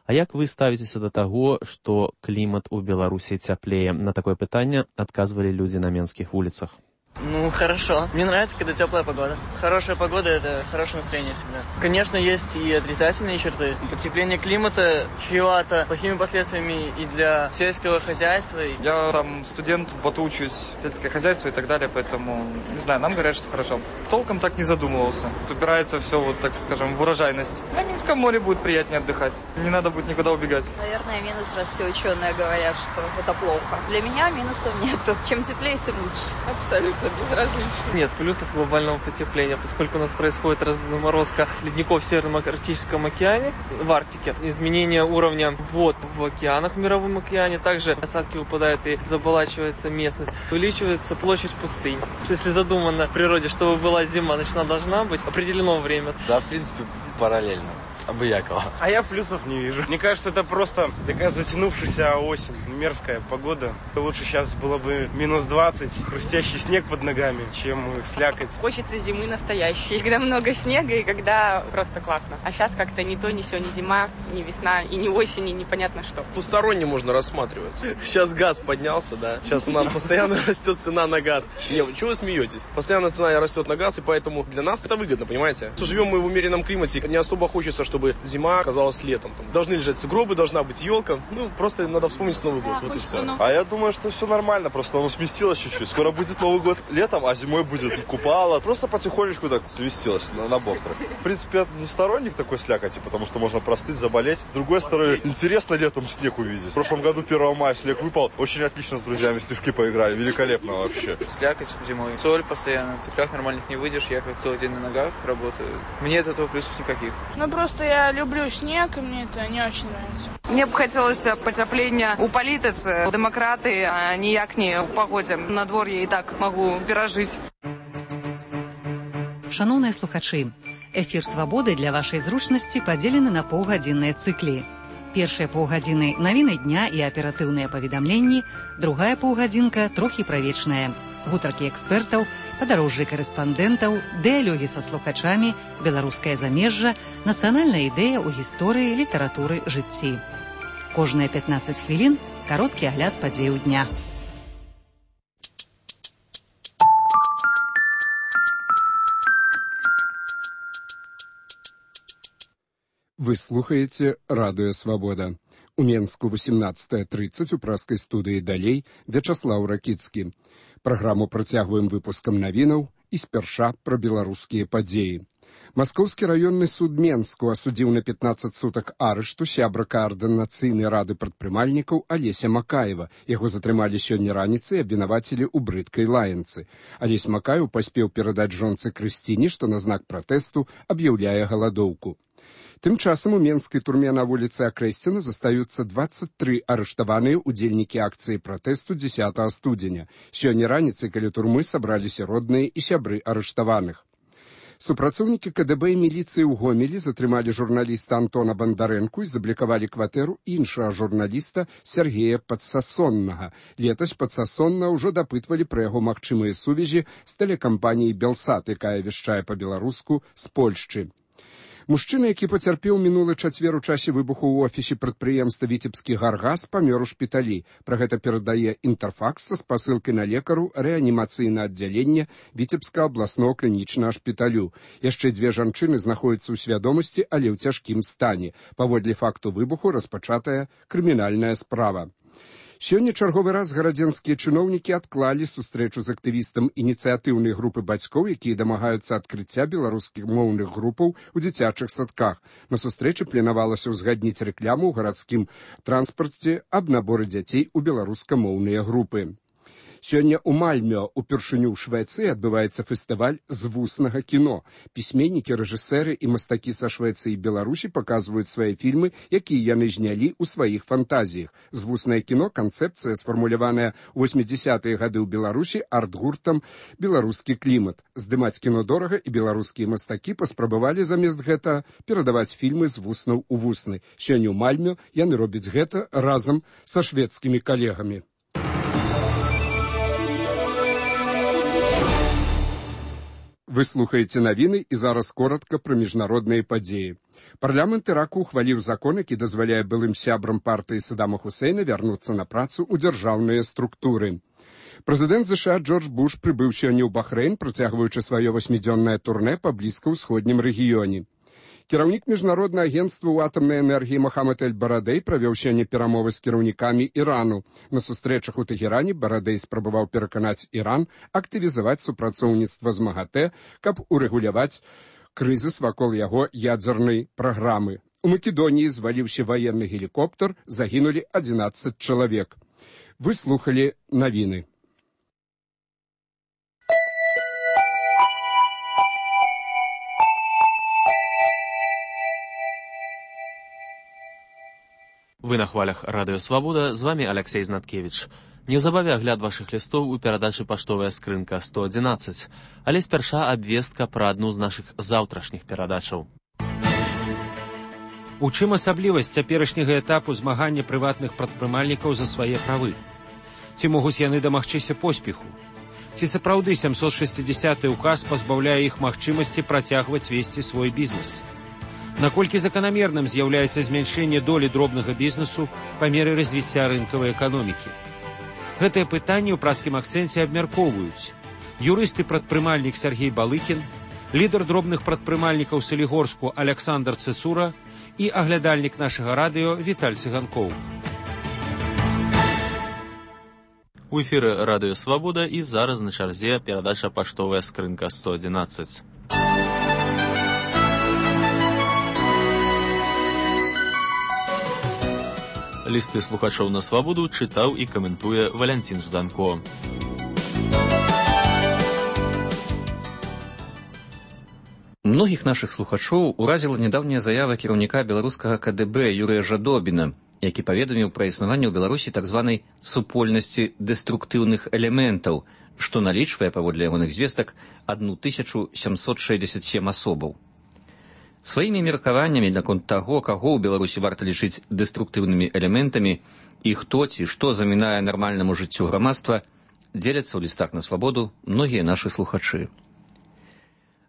А як вы ставіцеся да таго, што клімат у Беларусі цяплее? На такое пытанне адказвалі людзі на менскіх вуліцах. Ну, хорошо. Мне нравится, когда теплая погода. Хорошая погода – это хорошее настроение всегда. Конечно, есть и отрицательные черты. Потепление климата чревато плохими последствиями и для сельского хозяйства. Я там студент, вот учусь, сельское хозяйство и так далее, поэтому, не знаю, нам говорят, что хорошо. Толком так не задумывался. Упирается все, вот так скажем, в урожайность. На Минском море будет приятнее отдыхать. Не надо будет никуда убегать. Наверное, минус, раз все ученые говорят, что это плохо. Для меня минусов нету. Чем теплее, тем лучше. Абсолютно безразлично. Нет плюсов глобального потепления, поскольку у нас происходит разморозка ледников в Северном Арктическом океане, в Арктике, изменение уровня вод в океанах, в Мировом океане, также осадки выпадают и заболачивается местность, увеличивается площадь пустынь. Если задумано в природе, чтобы была зима, значит, она должна быть определено время. Да, в принципе, параллельно. Обыякова. А я плюсов не вижу. Мне кажется, это просто такая затянувшаяся осень, мерзкая погода. Лучше сейчас было бы минус 20, хрустящий снег под ногами, чем слякоть. Хочется зимы настоящей, когда много снега и когда просто классно. А сейчас как-то ни то, ни сё, ни зима, ни весна, и ни осень, и непонятно что. Двусторонне можно рассматривать. Сейчас газ поднялся, да. Сейчас у нас постоянно растет цена на газ. Не, чего вы смеетесь? Постоянно цена растет на газ, и поэтому для нас это выгодно, понимаете? Живем мы в умеренном климате, не особо хочется, чтобы чтобы зима казалась летом. Там должны лежать сугробы, должна быть елка. Просто надо вспомнить Новый год. Вот и все. А я думаю, что все нормально, просто оно сместилось чуть-чуть. Скоро будет Новый год летом, а зимой будет купало. Просто потихонечку так сместилось на бортах. В принципе, я не сторонник такой слякоти, потому что можно простыть, заболеть. С другой стороны, интересно летом снег увидеть. В прошлом году 1 мая снег выпал. Очень отлично с друзьями в снежки поиграли. Великолепно вообще. Слякоть зимой. Соль постоянно. В теплях нормальных не выйдешь. Ехать целый день на ногах, работаю. Мне от этого плюсов никаких. Просто я люблю снег, и мне это не очень нравится. Мне б хотелося потеплення у політиці. Демократи, а ніяк не у погоді. На дворі і так можу пережити. Шановныя слухачы, эфір «Свабоды» для вашай зручнасці падзелены на паўгадзінныя цыклі. Першыя паўгадзіны – навіны дня і аператыўныя паведамленні, другая паўгадзінка – трохі правечная. Гутаркі экспертаў, падарожжы карэспандэнтаў, дыялогі са слухачамі, беларускае замежжа, нацыянальная ідэя ў гісторыі, літаратуры, жыцці. Кожныя 15 хвілін – кароткі агляд падзеяў дня. Вы слухаеце радыё «Свабода». У Менску 18:30 у праскай студыі «Далей» Вячаслаў Ракіцкі. Праграму працягваем выпускам навінаў і спярша пра беларускія падзеі. Маскоўскі раённы суд Менску асудзіў на 15 сутак арышту сябра каардынацыйнай рады прадпрымальнікаў Алеся Макаева. Яго затрымалі сёння раніцай і абвінавацілі ў брыдкай лаянцы. Алесь Макаеў паспеў перадаць жонцы Крысціне, што на знак пратэсту аб'яўляе галадоўку. Тым часам у менскай турме на вуліцы Акрэсціна застаюцца 23 арыштаваныя ўдзельнікі акцыі пратэсту 10 студзеня. Сёння раніцай каля турмы сабраліся родныя і сябры арыштаваных. Супрацоўнікі КДБ і міліцыі ў Гомелі затрымалі журналіста Антона Бандарэнку і заблікавалі кватэру іншага журналіста Сергея Падсасоннага. Летась Падсасонна ўжо дапытвалі пра яго магчымыя сувязі з тэлекампаніяй «Белсат», якая вяшчае па-беларуску з Польшчы. Мужчына, які пацярпеў мінулы чацвер у часе выбуху ў офісе прадпрыемства «Віцебскі гаргаз», памёр у шпіталі. Пра гэта перадае «Інтэрфакс» са спасылкай на лекару рэанімацыйнае аддзяленне Віцебскага абласнога клінічнага шпіталю. Яшчэ 2 жанчыны знаходзяцца ў свядомасці, але ў цяжкім стане. Паводле факту выбуху распачатая крымінальная справа. Сёння чарговы раз гарадзенскія чыноўнікі адклалі сустрэчу з актывістам ініцыятыўнай групы бацькоў, якія дамагаюцца адкрыцця беларускіх моўных групаў у дзіцячых садках. На сустрэчы планавалася ўзгадніць рэкламу ў гарадскім транспарце аб наборы дзяцей у беларускамоўныя групы. Сёння ў Мальмё, упершыню ў Швецыі, адбываецца фестываль звуснага кіно. Пісьменнікі, рэжысэры і мастакі са Швецыі і Беларусі паказваюць свае фільмы, якія яны знялі ў сваіх фантазіях. Звуснае кіно – канцэпцыя, сфармуляваная ў 80-е гады ў Беларусі арт-гуртам «Беларускі клімат». Здымаць кіно дорага, і беларускія мастакі паспрабавалі замест гэта перадаваць фільмы з вуснаў у вусны. Сёння ў Мальмё яны робяць гэта разам са шведскімі калегамі. Вы слухаеце навіны і зараз коротка пра міжнародныя падзеі. Парламент Іраку ухваліў закон, які дазваляе былым сябрам партыі Саддама Хусейна вярнуцца на працу ў дзяржаўныя структуры. Прэзідэнт ЗША Джордж Буш прыбыў сёння ў Бахрэйн, працягваючы сваё 8-дзённае турнэ па блізка-ўсходнім рэгіёне. Кіраўнік міжнароднага агенцтва ў атамнай энергіі Мохаммед эль-Барадэй правёў сёння перамовы з кіраўнікамі Ірану. На сустрэчах у Тэхеране Барадэй спрабаваў пераканаць Іран актывізаваць супрацоўніцтва з МАГАТЭ, каб урэгуляваць крызіс вакол яго ядзернай праграмы. У Македоніі зваліўся ваенны гелікоптер, загінулі 11 чалавек. Вы слухалі навіны. Вы на хвалях радыё «Свабода», з вами Алексей Знаткевич. Неўзабаве агляд вашых лістоў у перадачы «Паштовая скрынка 111», але спярша абвестка пра адну з нашых заўтрашніх перадачаў. У чым асаблівасць цяперашняга этапу змагання прыватных прадпрымальнікаў за свае правы? Ці могуць яны дамагчыся поспеху? Ці сапраўды 760-й указ пазбаўляе іх магчымасці працягваць весці свой бізнес? Наколькі заканамерным з'яўляецца змяншэнне долі дробнага бізнесу па меры развіцця рынкавай эканомікі? Гэтае пытанне ў праскім акцэнце абмяркоўваюць юрыст і прадпрымальнік Сергей Балыкін, лідар дробных прадпрымальнікаў Салігорску Александр Цэцура і аглядальнік нашага радыё Віталь Цыганкоў. У эфіры радыё Свабода і зараз на чарзе перадача паштовая скрынка 111. Лісты слухачоў на Свабоду чытаў і каментуе Валянцін Жданко. Многіх нашых слухачоў уразіла нядаўняя заява кіраўніка беларускага КДБ Юрыя Жадобіна, які паведаміў пра існаванне ў Беларусі так званай супольнасці дэструктыўных элементаў, што налічвае, паводле ягоных звестак, 1767 асобаў. Сваімі меркаваннямі наконт таго, каго ў Беларусі варта лічыць дэструктыўнымі элементамі і хто ці што замінае нармальнаму жыццю грамадства, дзеляцца ў лістах на Свабоду многія нашы слухачы.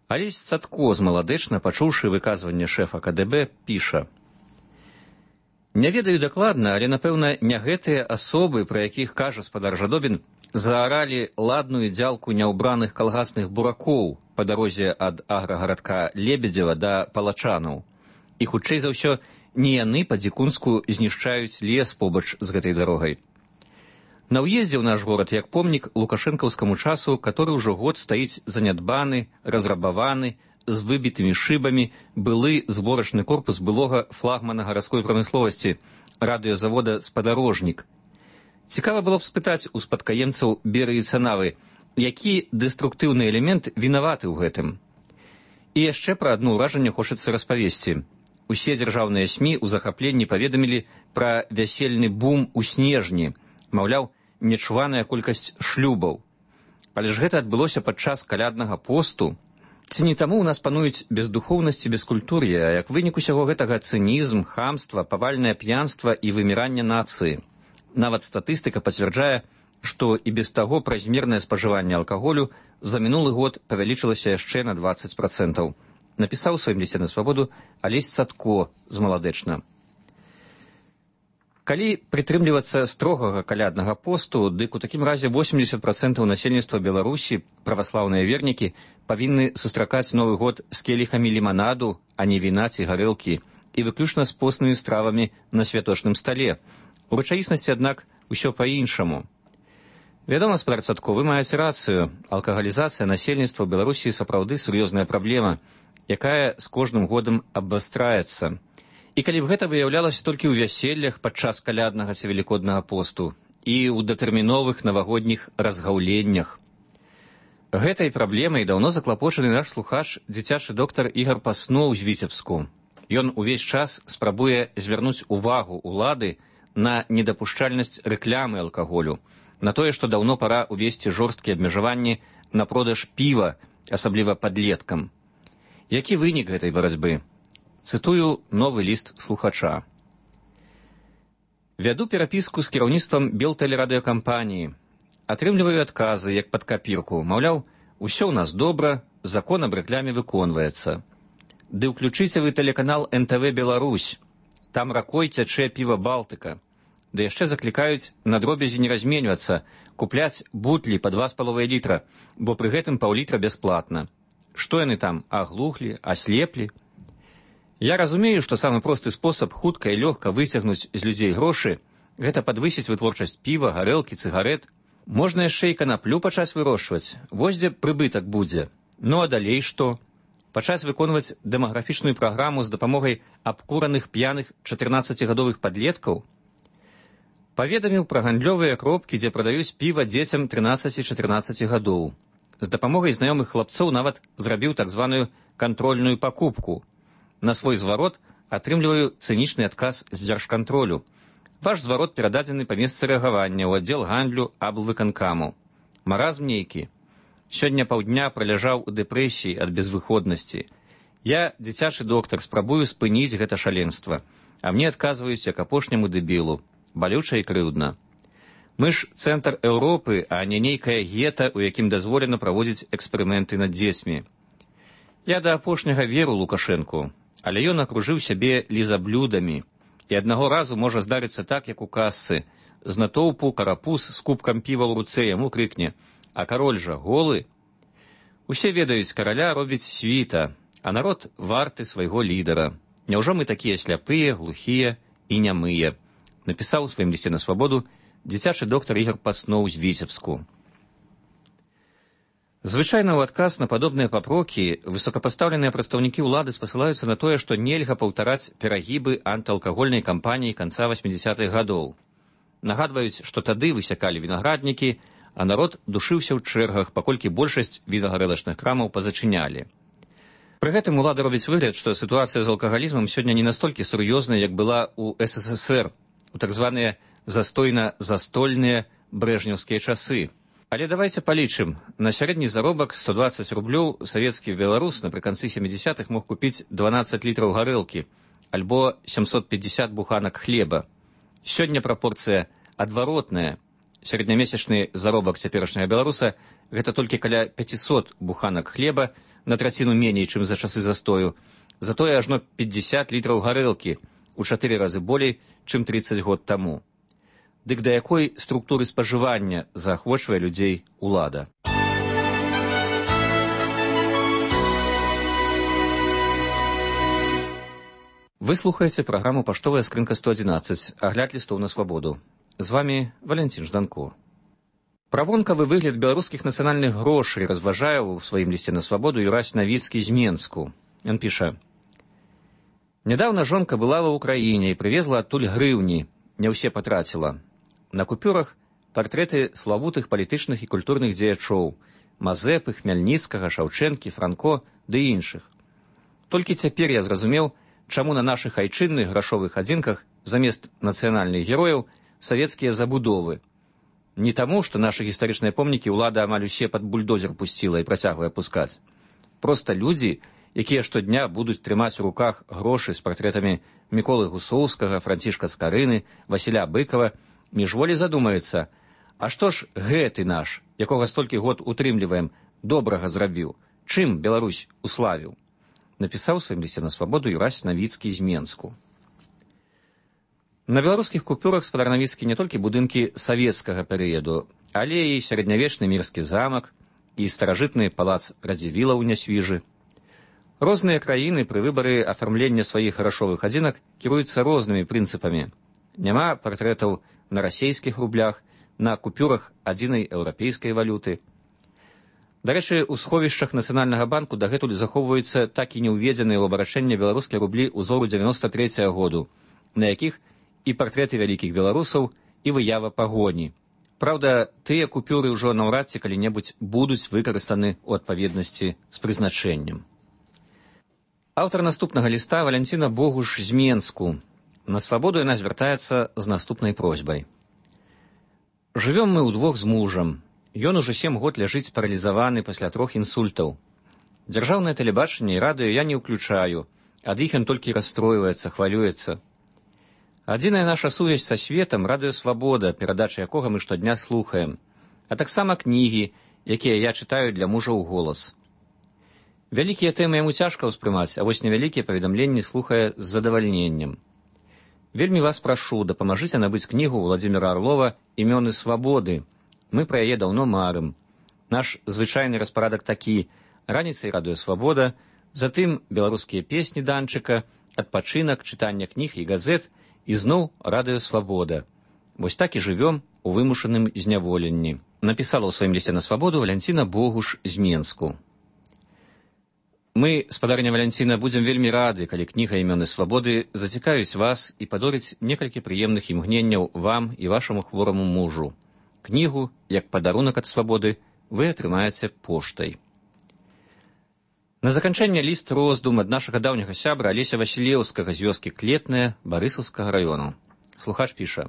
Алесь Цатко з Маладэчна, пачуўшы выказванне шэфа КДБ, піша: «Не ведаю дакладна, але, напэўна, не гэтыя асобы, пра якіх кажа спадар Жадобін, зааралі ладную дзялку няўбраных калгасных буракоў па дарозе ад аграгарадка Лебедзева да Палачанаў. І, хутчэй за ўсё, не яны па-дзікунску знішчаюць лес побач з гэтай дарогай. На ўездзе ў наш горад як помнік лукашэнкаўскаму часу, который ўжо год стаіць занядбаны, разрабаваны, з выбітымі шыбамі, былы зборачны корпус былога флагмана гарадской прамысловасці, радыёзавода «Спадарожнік». Цікава было б спытаць у спадкаемцаў Беры і Цанавы, які дэструктыўны элемент вінаваты ў гэтым. І яшчэ пра адно ўражанне хочацца распавесці. Усе дзяржаўныя СМІ ў захапленні паведамілі пра вясельны бум у снежні, маўляў, нечуваная колькасць шлюбаў. Але ж гэта адбылося падчас каляднага посту. Ці не таму ў нас пануюць бездухоўнасць і бескультур'е, а як вынік усяго гэтага цынізм, хамства, павальнае п'янства і выміранне нацыі. Нават статыстыка пацвярджае, што і без таго празмернае спажыванне алкаголю за мінулы год павялічылася яшчэ на 20%. Напісаў у сваім лісце на Свабоду Алесь Цатко з Маладэчна. Калі прытрымлівацца строгага каляднага посту, дык у такім разе 80% насельніцтва Беларусі, праваслаўныя вернікі, павінны сустракаць Новы год з келіхамі ліманаду, а не віна ці гарэлкі, і выключна з постнымі стравамі на святочным стале. У рэчаіснасці, аднак, усё па-іншаму. Вядома, спадар Цатко, вы маеце рацыю. Алкагалізацыя насельніцтва ў Беларусі сапраўды сур'ёзная праблема, якая з кожным годам абвастраецца. І калі б гэта выяўлялася толькі ў вяселлях падчас каляднага ці велікоднага посту і ў датэрміновых навагодніх разгаўленнях. Гэтай праблемай даўно заклапочаны наш слухач, дзіцячы доктар Ігар Пасноў з Віцебску. Ён увесь час спрабуе звярнуць увагу ўлады на недапушчальнасць рэклямы алкаголю, на тое, што даўно пара ўвесці жорсткія абмежаванні на продаж піва, асабліва падлеткам. Які вынік гэтай барацьбы? Цытую новы ліст слухача. Вяду перапіску з кіраўніцтвам Белтэлерадыёкампаніі. Атрымліваю адказы, як пад капірку. Маўляў, усё ў нас добра, закон аб рэкляме выконваецца. Ды ўключыце вы тэлеканал НТВ Беларусь. Там ракой цячэ піва Балтыка. Да яшчэ заклікаюць на дробязі не разменьвацца, купляць бутлі па 2,5 літра, бо пры гэтым паўлітра бясплатна. Што яны там, аглухлі, аслеплі? Я разумею, што самы просты спосаб хутка і лёгка выцягнуць з людзей грошы – гэта падвысіць вытворчасць піва, гарэлкі, цыгарэт. Можна яшчэ і канаплю пачаць вырошчваць. Вось дзе прыбытак будзе. Ну а далей што? Пачаць выконваць дэмаграфічную праграму з дапамогай абкураных п'яных 14гадовых падлеткаў? Паведаміў пра гандлёвыя кропкі, дзе прадаюць піва дзецям 13-14 гадоў. З дапамогай знаёмых хлапцоў нават зрабіў так званую кантрольную пакупку. На свой зварот атрымліваю цынічны адказ з дзяржкантролю. Ваш зварот перададзены па месцы рэагавання ў аддзел гандлю аблвыканкаму. Маразм нейкі. Сёння паўдня праляжаў у дэпрэсіі ад безвыходнасці. Я, дзіцячы доктар, спрабую спыніць гэта шаленства, а мне адказваюць як апошняму дэбілу. Балюча і крыўдна. Мы ж цэнтр Еўропы, а не нейкая гета, у якім дазволена праводзіць эксперыменты над дзецьмі. Я да апошняга веру Лукашэнку, але ён акружыў сябе лізаблюдамі. І аднаго разу можа здарыцца так, як у казцы. З натоўпу карапуз з кубкам піва ў руцэ яму крыкне: «А кароль жа голы?» Усе ведаюць, караля робіць світа, а народ варты свайго лідара. Няўжо мы такія сляпыя, глухія і нямыя? Напісаў у сваім лісце на свабоду дзіцячы доктар Ігор Пасноў з Віцебску. Звычайна ў адказ на падобныя папрокі высокапастаўленыя прадстаўнікі ўлады спасылаюцца на тое, што нельга паўтараць перагібы антыалкагольнай кампаніі канца 80-х гадоў. Нагадваюць, што тады высякалі вінаграднікі, а народ душыўся ў чэргах, паколькі большасць вінагарэлачных крамаў пазачынялі. Пры гэтым улада робіць выгляд, што сітуацыя з алкагалізмам сёння не настолькі сур'ёзная, як была ў СССР, у так званыя застойна-застольныя брэжнеўскія часы. Але давайте палічым. На сярэдні заробак 120 рублёў савецкі беларус напрыканцы 70-х мог купіць 12 літраў гарэлкі альбо 750 буханак хлеба. Сёння прапорцыя адваротная. Сярэднямесячны заробак цяперашняга беларуса – гэта толькі каля 500 буханак хлеба, на траціну меней, чым за часы застою. Затое ажно 50 літраў гарэлкі, у 4 разы болей, чым 30 год таму. Дык да якой структуры спажывання заахвочвае людзей улада? Вы слухаеце праграму «Паштовая скрынка 111», агляд лістоў на свабоду. З вами Валянцін Жданко. Пра вонкавы выгляд беларускіх нацыянальных грошай разважае ў сваім лісце на свабоду Юрась Навіцкі з Менску. Ён піша: «Нядаўна жонка была ва ўкраіне і прывезла адтуль грыўні, не ўсе патраціла. На купюрах партрэты славутых палітычных і культурных дзеячоў – Мазэпы, Хмяльніцкага, Шаўчэнкі, Франко ды іншых. Толькі цяпер я зразумеў, чаму на нашых айчынных грашовых адзінках замест нацыянальных герояў савецкія забудовы. Не таму, што нашы гістарычныя помнікі ўлада амаль усе пад бульдозер пусціла і працягвае пускаць. Проста людзі, якія штодня будуць трымаць у руках грошы з партрэтамі Міколы Гусоўскага, Францішка Скарыны, Васіля Быкава, міжволі задумаюцца, а што ж гэты наш, якога столькі год утрымліваем, добрага зрабіў, чым Беларусь уславіў? Напісаў у сваім лісце на свабоду Юрась Навіцкі з Менску. На беларускіх купюрах спадар Навіцкі не толькі будынкі савецкага перыяду, але і сярэднявечны мірскі замак, і старажытны палац Радзівіла ў Нясвіжы. Розныя краіны пры выбары афармлення сваіх грашовых адзінак кіруюцца рознымі прынцыпамі. Няма партрэтаў на расейскіх рублях, на купюрах адзінай еўрапейскай валюты. Дарэчы, у сховішчах Нацыянальнага банку дагэтуль захоўваюцца так і не ўведзеныя ў абарачэнне беларускія рублі ўзору 93-го году, на якіх і партрэты вялікіх беларусаў, і выява пагоні. Праўда, тыя купюры ўжо наўрад ці калі-небудзь будуць выкарыстаны ў адпаведнасці з прызначэннем. Аўтар наступнага ліста Валянціна Богуш з Менску. На свабоду яна звяртаецца з наступнай просьбай. Жывём мы ўдвох з мужам. Ён ужо 7 год ляжыць паралізаваны пасля 3 інсультаў. Дзяржаўнае тэлебачанне і радыё я не ўключаю, ад іх ён толькі расстройваецца, хвалюецца. Адзіная наша сувязь са светам — радыё «Свабода», перадачы якога мы штодня слухаем, а таксама кнігі, якія я чытаю для мужа ў голас. Вялікія тэмы яму цяжка ўспрымаць, а вось невялікія паведамленні слухае з задавальненнем. Вельмі вас прашу, дапамажыце набыць кнігу Владзіміра Арлова «Імёны свабоды». Мы пра яе даўно марым. Наш звычайны распарадак такі: раніцай радыё «Свабода», затым беларускія песні Данчыка, адпачынак, чытанне кніг і газет, і зноў радыё «Свабода». Вось так і жывём у вымушаным зняволенні. Напісала ў сваім лісце на свабоду Валянціна Богуш з Менску. Мы, спадарня Валянціна, будзем вельмі рады, калі кніга «Імёны свабоды» зацікавіць вас і падорыць некалькі прыемных імгненняў вам і вашаму хвораму мужу. Кнігу, як падарунак ад свабоды, вы атрымаеце поштай. На заканчэнне ліст роздум ад нашага даўняга сябра Алеся Васілеўскага з вёскі Клетная Барысаўскага раёну. Слухач піша: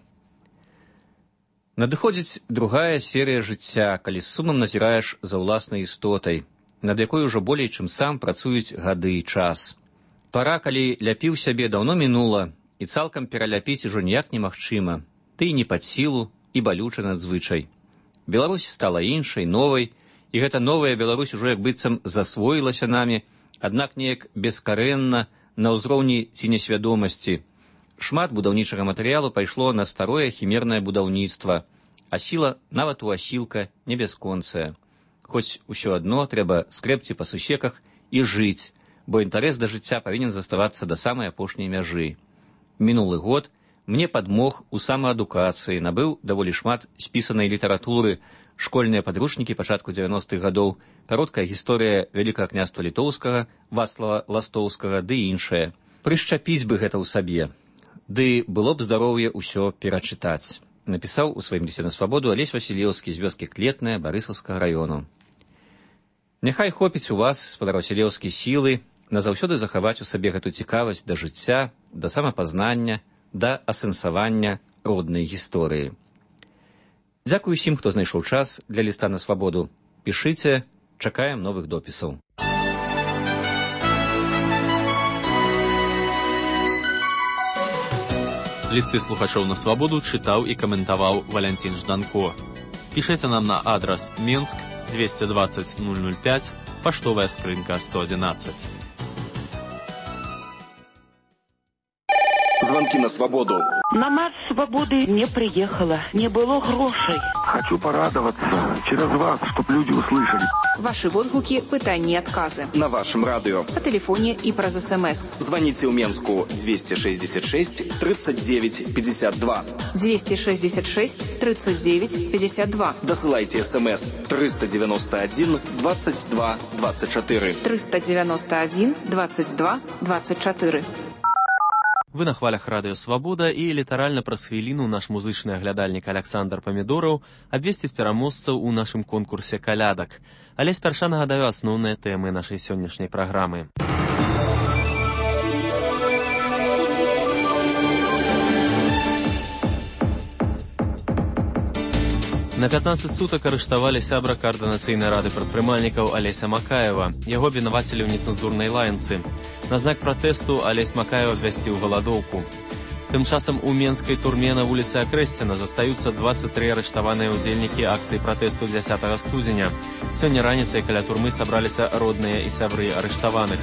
«Надыходзіць другая серыя жыцця, калі з сумам назіраеш за ўласнай істотай, над якой ужо болей, чым сам працуюць гады і час. Пара, калі ляпіў сябе, даўно мінула, і цалкам пераляпіць ужо ніяк немагчыма, ты і не пад сілу, і балюча надзвычай. Беларусь стала іншай, новай, і гэта новая Беларусь ужо як быццам засвоілася намі, аднак неяк бескарэнна, на ўзроўні ці несвядомасці. Шмат будаўнічага матэрыялу пайшло на старое хімернае будаўніцтва, а сіла нават у асілка не бясконцая. Хоць усё адно трэба скрэбці па сусеках і жыць, бо інтарэс да жыцця павінен заставацца да самай апошняй мяжы. Мінулы год мне падмог у самаадукацыі, набыў даволі шмат спісанай літаратуры, школьныя падручнікі пачатку 90-х гадоў, кароткая гісторыя Вялікага княства Літоўскага, Вацлава Ластоўскага ды іншае. Прышчапіць бы гэта ў сабе. Ды было б здароўе ўсё перачытаць. Напісаў у сваім лісце на свабоду Алесь Васілеўскі з вёскі Клетная Барысаўскага раёну. Няхай хопіць у вас, спадар Васілеўскі, сілы назаўсёды захаваць у сабе гэту цікавасць да жыцця, да самапазнання, да асэнсавання роднай гісторыі. Дзякую усім, хто знайшоў час для ліста на свабоду. Пішыце, чакаем новых допісаў. Лісты слухачоў на свабоду чытаў і каментаваў Валянцін Жданко. Пішыце нам на адрас Менск 220 005, паштовая скрынка 111. Звонки на свободу. На марш свободы не приехала, не было грошей. Хочу порадоваться через вас, чтобы люди услышали. Ваши отгуки, пытания и отказы. На вашем радио. По телефоне и праз СМС. Звоните в Менску 266 39 52. 266 39 52. Досылайте СМС 391 22 24. 391 22 24. Вы на хвалях радыё «Свабода» і літаральна праз хвіліну наш музычны аглядальнік Александр Памідораў абвесціць пераможцаў у нашым конкурсе калядак. Але спярша нагадаю асноўныя тэмы нашай сённяшняй праграмы. На 15 сутак арыштавалі сябра каардынацыйнай рады прадпрымальнікаў Алеся Макаева. Яго абвінавацілі ў нецэнзурнай лаянцы. На знак пратэсту Алесь Макаеў абвясціў галадоўку. Тым часам у менскай турме на вуліцы Акрэсціна застаюцца 23 арыштаваныя ўдзельнікі акцыі пратэсту 10 студзеня. Сёння раніцай каля турмы сабраліся родныя і сябры арыштаваных.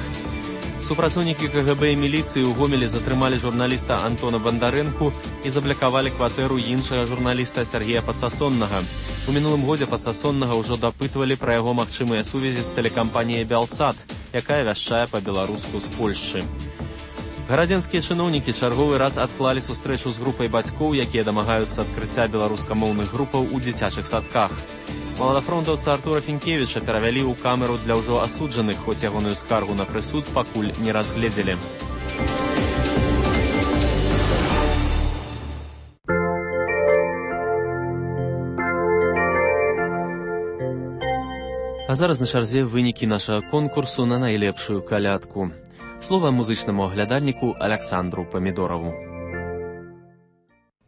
Супрацоўнікі КГБ і міліцыі ў Гомелі затрымалі журналіста Антона Бандарэнку і заблакавалі кватэру іншага журналіста Сергея Пацасоннага. У мінулым годзе Пацасоннага ўжо дапытвалі пра яго магчымыя сувязі з тэлекампаніяй «Бялсат», якая вяшчае па-беларуску з Польшчы. Гарадзенскія чыноўнікі чарговы раз адклалі сустрэчу з групай бацькоў, якія дамагаюцца адкрыцця беларускамоўных групаў у дзіцячых садках. Маладафронтаўца Артура Фінкевіча перавялі ў камеру для ўжо асуджаных, хоць ягоную скаргу на прысуд пакуль не разгледзелі. А зараз на чарзе вынікі нашага конкурсу на найлепшую калядку. Слова музычнаму аглядальніку Александру Памідораву.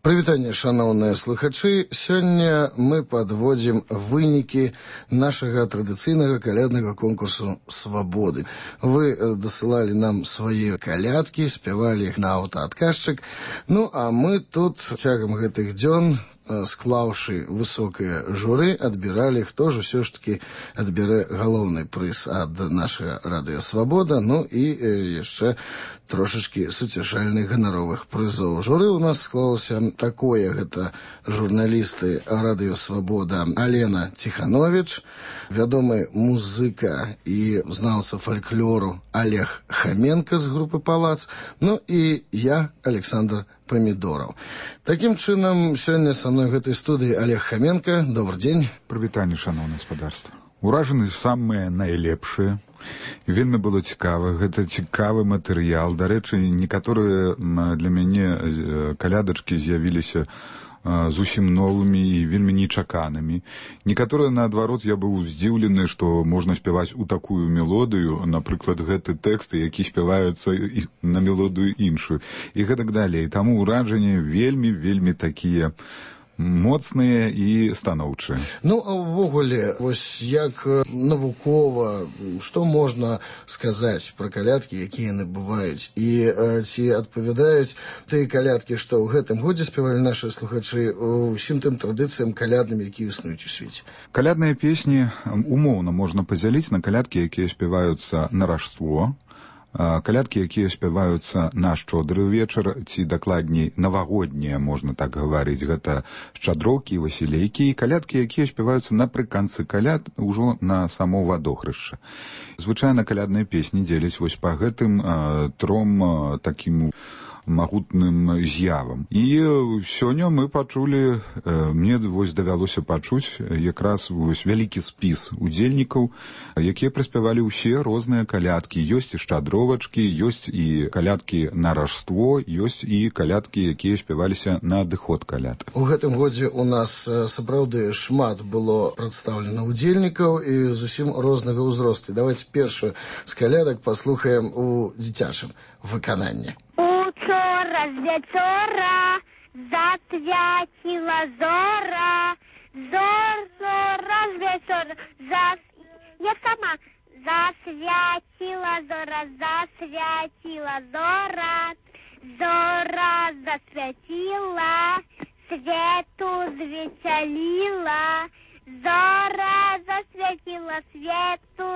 Прывітанне, шаноўныя слухачы. Сёння мы падводзім вынікі нашага традыцыйнага каляднага конкурсу «Свабоды». Вы дасылалі нам свае калядкі, спявалі іх на аўтаадказчык. Ну, а мы тут цягам гэтых дзён, склаўшы высокае журы, адбіралі, хто ж усё ж такі адбярэ галоўны прыз ад нашага радыё «Свабода», ну і яшчэ трошачкі суцяшальных ганаровых прызоў. Журы ў нас склалася такое, гэта журналісты радыё «Свабода» Алена Ціхановіч, вядомы музыка і знаўца фальклору Олег Хаменка з групы «Палац», ну і я, Александр Памідораў. Такім чынам, сёння са мной гэтай студыі Олег Хаменка. Добрый дзень. Прывітанне, шаноўнае гаспадарства. Уражаны самыя найлепшыя. Вельмі было цікава. Гэта цікавы матэрыял. Дарэчы, некаторыя для мяне калядачкі з'явіліся зусім новымі і вельмі нечаканымі. Некаторыя, наадварот, я быў здзіўлены, што можна спяваць у такую мелодыю, напрыклад, гэты тэксты, які спяваюцца на мелодыю іншую, і гэтак далей. Таму ўражанні вельмі такія моцныя і станоўчыя. Ну, а ўвогуле, вось як навукова, што можна сказаць пра калядкі, якія яны бываюць? І ці адпавядаюць тыя калядкі, што ў гэтым годзе спявалі нашы слухачы, усім тым традыцыям калядным, якія існуюць у свеце? Калядныя песні умоўна можна падзяліць на калядкі, якія спяваюцца на Рождество, Калядкі, якія спяваюцца на шчодры вечар, ці дакладней навагоднія, можна так гаварыць, гэта шчадроўкі, васілейкі, і калядкі, якія спяваюцца напрыканцы каляд ужо на само вадохрышча. Звычайна калядныя песні дзеляць вось па гэтым тром такім магутным з'явам. І сёння мы пачулі, мне вось давялося пачуць якраз вось вялікі спіс удзельнікаў, якія праспявалі ўсе розныя калядкі. Ёсць і шчадровачкі, ёсць і калядкі на ражство, ёсць і калядкі, якія спяваліся на адыход каляд. У гэтым годзе у нас сапраўды шмат было прадстаўлена удзельнікаў і зусім рознага ўзросту. Давайте першую з калядак паслухаем у дзіцячым выкананні. Учора з вечора засвяціла зора, зора з вечора, я сама засвяціла зора, зора засвяціла, свету звесяліла, зора засвяціла, свету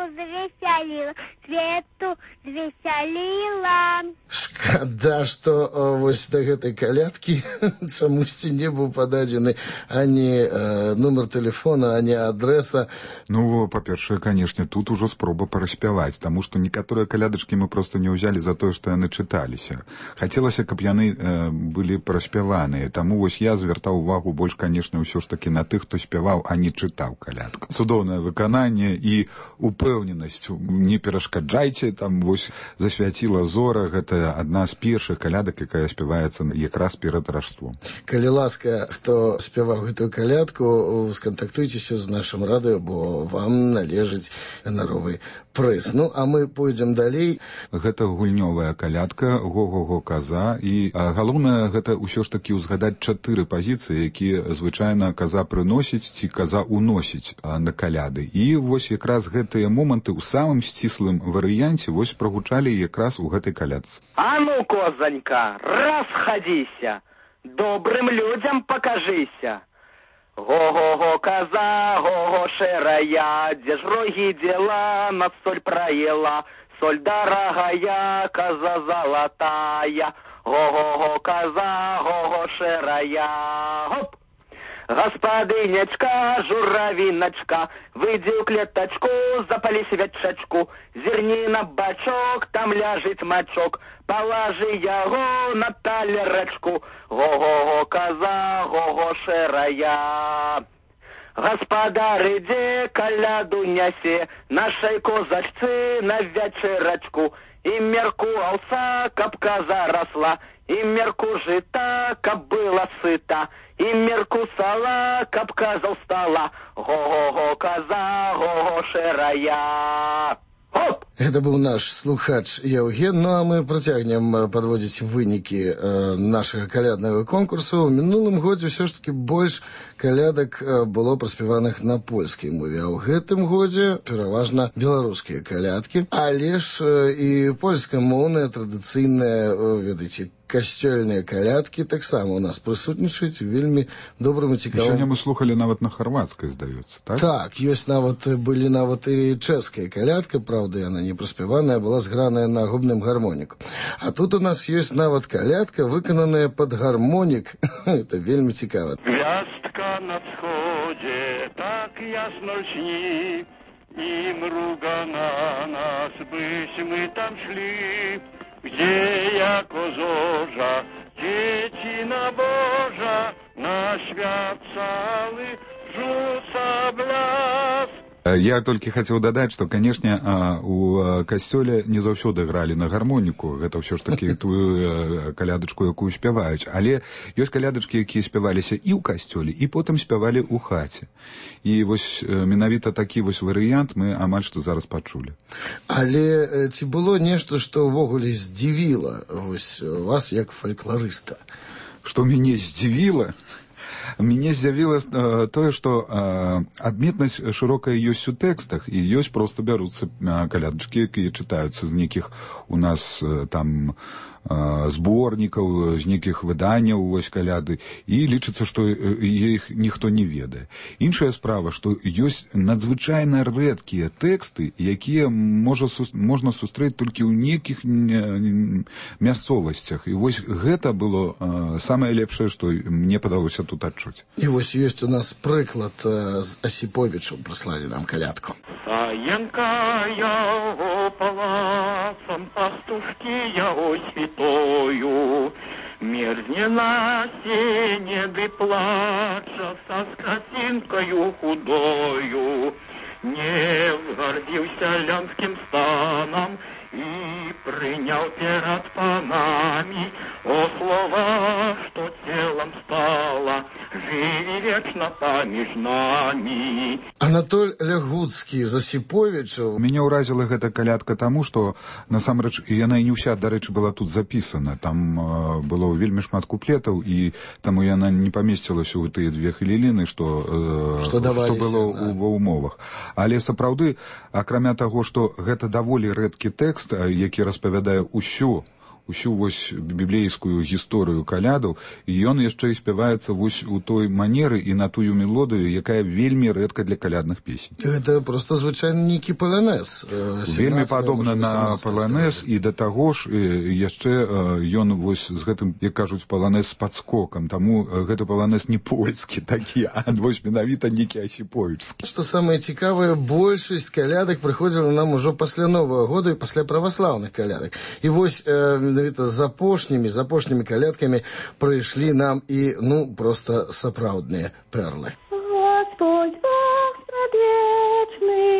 звесяліла. Шкада, што вось да гэтай калядкі чамусьці не быў пададзены ані нумар тэлефона, ані адрэса. Ну, па-першае, канешне, тут ужо спроба параспяваць, таму што некаторыя калядачкі мы проста не ўзялі за тое, што яны чыталіся. Хацелася, каб яны былі праспяваныя, таму вось я звяртаў увагу больш, канешне, ўсё ж такі на тых, хто спяваў, а не чытаў калядку. Цудоўнае выкананне і упэўненасць. Не перашкаджайце, там вось засвяціла зора, гэта адна з першых калядак, якая спяваецца якраз перад ражством. Калі ласка, хто спяваў гэтую калядку, скантактуйцеся з нашым радыё, бо вам належыць ганаровы прыз. Ну, а мы пойдзем далей. Гэта гульнёвая калядка, го-го-го каза, і галоўнае гэта ўсё ж такі ўзгадаць 4 пазіцыі, якія звычайна каза прыносіць ці каза уносіць на каляды. І вось якраз гэтыя моманты ў самым сціслым варыянце вось прагучалі якраз у гэтай калядцы. А ну, козанька, расходися, добрым людям покажися. Го-го-го, коза, го-го, шерая, где ж роги дела, на соль проела, соль дорогая, коза золотая. Го-го-го, коза, го-го, шерая, хоп! Господынечка, журавиночка, выйди в клеточку, запали свечечку, зерни на бачок, там ляжет мачок, положи его на талерочку. Го-го-го, коза, го-го, шерая. Господар, иди коляду неси, нашей козачцы на вечерочку, и мерку овса, каб коза росла, и мерку жита, каб была сыта, и мерку сала, каб коза устала. Го-го-го, коза, го-го, шерая. Хоп! Это быў наш слухач Яўген. Ну, а мы працягнем падводзіць вынікі нашага каляднага конкурсу. У мінулым годзе ўсё ж такі больш калядак было праспяваных на польскай мове, а ў гэтым годзе пераважна беларускія калядкі. Але ж і польскамоўныя традыцыйныя, ведаеце, касцёльныя калядкі таксама у нас прысутнічаюць вельмі добрым і цікавым. Сёння мы слухалі нават на харвацкай, здаецца, так? Так, ёсць нават, былі нават і чэшская калядка, правда, яна не праспяваная, была зграная на губным гармоніку. А тут у нас ёсць нават калядка, выкананая пад гармонік. Это вельмі цікава. Гвяздка на сходе так ясно льщни, и мруга на нас, byś мы там шли. Gdzie jako zorza, dziecina Boża, na świat cały rzuca blask. Я толькі хацеў дадаць, што, канешне, у касцёле не заўсёды гралі на гармоніку, гэта ўсё ж такі тую калядачку, якую спяваюць, але ёсць калядачкі, якія спяваліся і ў касцёле, і потым спявалі ў хаце. І вось менавіта такі вось варыянт мы амаль што зараз пачулі. Але ці было нешта, што ўвогуле здзівіла вось вас як фалькларыста? Што мяне здзівіла? мне з'явилось тое, што адметнасць шырокая ёсць у тэкстах, і ёсць проста бяруцца калядачкі, якія чытаюцца з нейкіх у нас там зборнікаў, з нейкіх выданняў, вось каляды, і лічыцца, што іх ніхто не ведае. Іншая справа, што ёсць надзвычайна рэдкія тэксты, якія можна сустрэць толькі ў нейкіх мясцовасцях. І вось гэта было самае лепшае, што мне падалося тут адчуць. І вось ёсць у нас прыклад з Асіповічам, прыслалі нам калядку. Саенка яго палацам, пастушкі яго святою, мерзне на сене ды плача са скацінкаю худою, не згардзіўся лянскім станам і прыняў перад панамі, о слова, што целам стала, жыві вечна паміж намі. Анатоль Лягуцкі з Асіповічаў. Мяне ўразіла гэта калядка таму, што насамрэч яна і не ўся, дарэчы, была тут запісана. Там было вельмі шмат куплетаў, і таму яна не памесцілася ў тыя 2 хвіліны, што было ва ўмовах. Але сапраўды, акрамя таго, што гэта даволі рэдкі тэкст, які распавядае ўсю вось біблейскую гісторыю калядаў, і ён яшчэ і спяваецца вось у той манеры і на тую мелодыю, якая вельмі рэдка для калядных песень. Гэта проста звычайны нейкі паланез. Вельмі падобна на паланез, і да таго ж яшчэ ён вось з гэтым, як кажуць, паланез з падскокам, таму гэта паланез не польскі такі, а вось менавіта нейкі асіповічскі. Што самае цікавае, большасць калядак прыходзіла нам ужо пасля Новага года і пасля праваслаўных калядак. І вось менавіта з апошнімі калядкамі прыйшлі нам і, проста сапраўдныя перлы. Господь Бог предвечный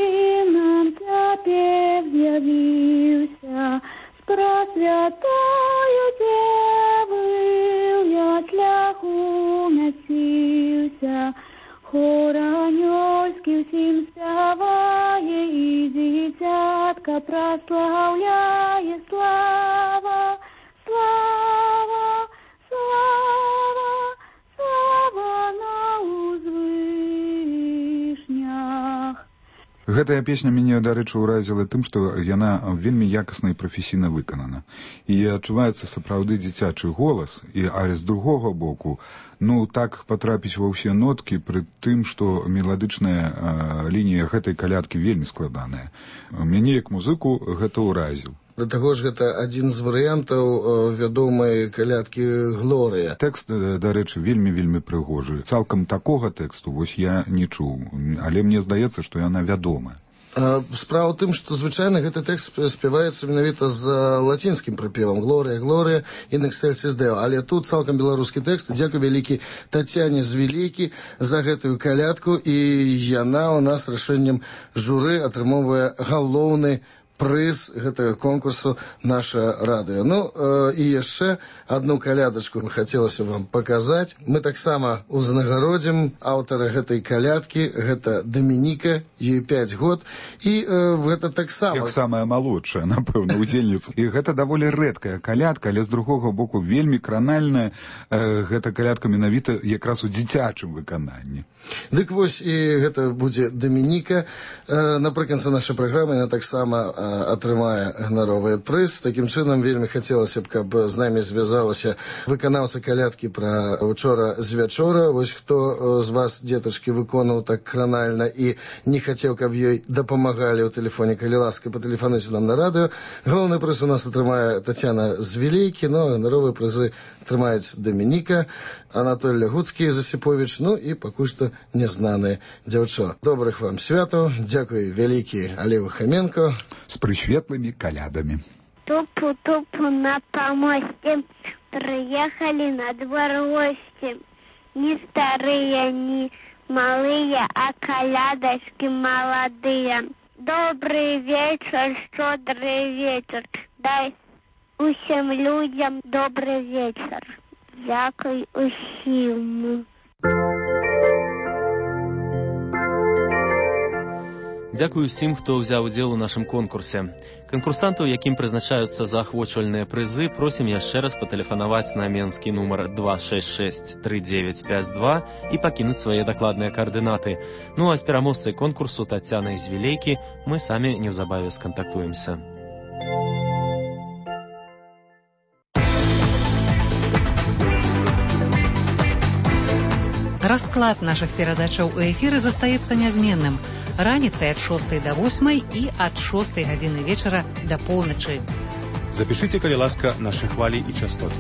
нам цяпер з'явіўся, з прасвятою Девою ясляху мяціўся, хор анёльскі ўсім спявае і дзіцятка праслаўляе. Слава, слава, слава, слава на ўзвышнях. Гэтая песня мяне, дарэчы, уразіла тым, што яна вельмі якасна і прафесійна выканана. І адчуваецца сапраўды дзіцячы голас, але з другога боку, так патрапіць ва ўсе ноткі, пры тым, што меладычная лінія гэтай калядкі вельмі складаная. Мяне, як музыку, гэта ўразіў. Да таго ж гэта адзін з варыянтаў вядомай калядкі «Глорыя». Тэкст, дарэчы, вельмі прыгожы. Цалкам такога тэксту вось я не чуў, але мне здаецца, што яна вядомая. Справа ў тым, што звычайна гэты тэкст спяваецца менавіта з лацінскім прыпевам «Глорыя, Глорыя, in excelsis Deo». Але тут цалкам беларускі тэкст. Дзякуй вялікі Тацяне Звілейкі за гэтую калядку, і яна ў нас рашэннем журы атрымоўвае галоўны прыз гэтага конкурсу «Наша радыё». І яшчэ одну калядачку хацелася вам паказаць. Мы таксама узнагародзім аўтара гэтай калядкі, гэта Дамініка, ёй 5 год, і гэта таксама... Як самая малодшая, напэўна, удзельніца. І гэта даволі рэдкая калядка, але з другога боку вельмі кранальная. Гэта калядка менавіта якраз у дзіцячым выкананні. Дык вось, і гэта будзе Дамініка. Напрыканцы нашай праграмы яна таксама атрымае ганаровы прыз. Такім чынам, вельмі хацелася б, каб з намі звязалася выканаўца калядкі пра «Учора з вячора». Вось хто з вас, дзетачкі, выконаў так кранальна і не хацеў, каб ёй дапамагалі ў тэлефоне, калі ласка, патэлефануйце нам на радыё. Галоўны прыз у нас атрымае Тацяна Звілейкі, ганаровыя прызы атрымаюць Дамініка, Анатоль Лягуцкі з Асіповіч, і пакуль што нязнанае дзяўчо. Добрых вам святаў, дзякуй вялікі Алею Хаменко. З прысветлымі калядамі. Тупу-тупу на помосте, приехали на двор гости. Не старые, не малые, а колядочки молодые. Добрый вечер, щедрый вечер. Дай усім людям добрый вечер. Дякую усім. Дзякую усім, хто ўзяў удзел у нашым конкурсе. Канкурсантаў, якім прызначаюцца заахвочвальныя прызы, просім яшчэ раз патэлефанаваць на менскі нумар 266-3952 і пакінуць свае дакладныя каардынаты. Ну а з пераможцай конкурсу Таццянай з Вілейкі мы самі неўзабаве скантактуемся. Расклад наших перадачаў у эфіры застаецца нязменным. Раніцай ад 6 до 8 і ад 6 гадзіны вечара да поўначы. Запішыце, калі ласка, нашы хвалі і частоты.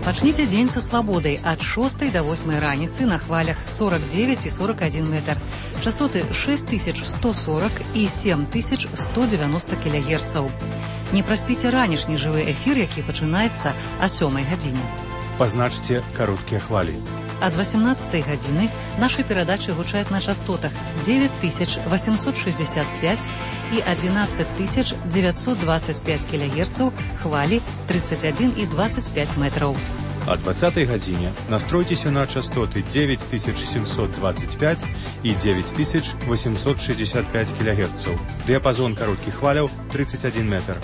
Пачніце дзень са свабодай ад 6 до 8 раніцы на хвалях 49 і 41 метр. Частоты 6140 і 7190 кГц. Не праспіце ранішні жывы эфір, які пачынаецца о 7 гадзіне. Пазначце кароткія хвалі. Ад 18 гадзіны нашы перадачы гучаць на частотах 9865 і 11925 кГц, хвалі 31 і 25 метраў. О 20 гадзіне настройцеся на частоты 9725 і 9865 кГц. Дыяпазон кароткіх хваляў 31 метр.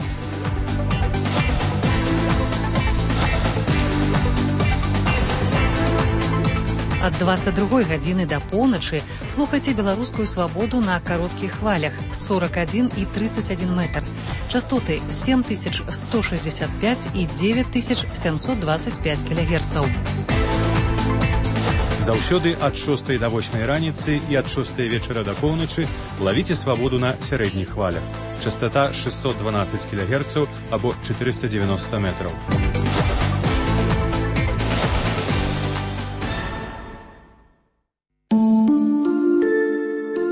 Ад 22 гадзіны да поўначы слухайце беларускую свабоду на кароткіх хвалях 41 і 31 метр. Частоты 7165 і 9725 кГц. Заўсёды ад 6 до 8 раніцы і ад 6 вечара да поўначы лавіце свабоду на сярэдніх хвалях. Частота 612 кГц або 490 метраў.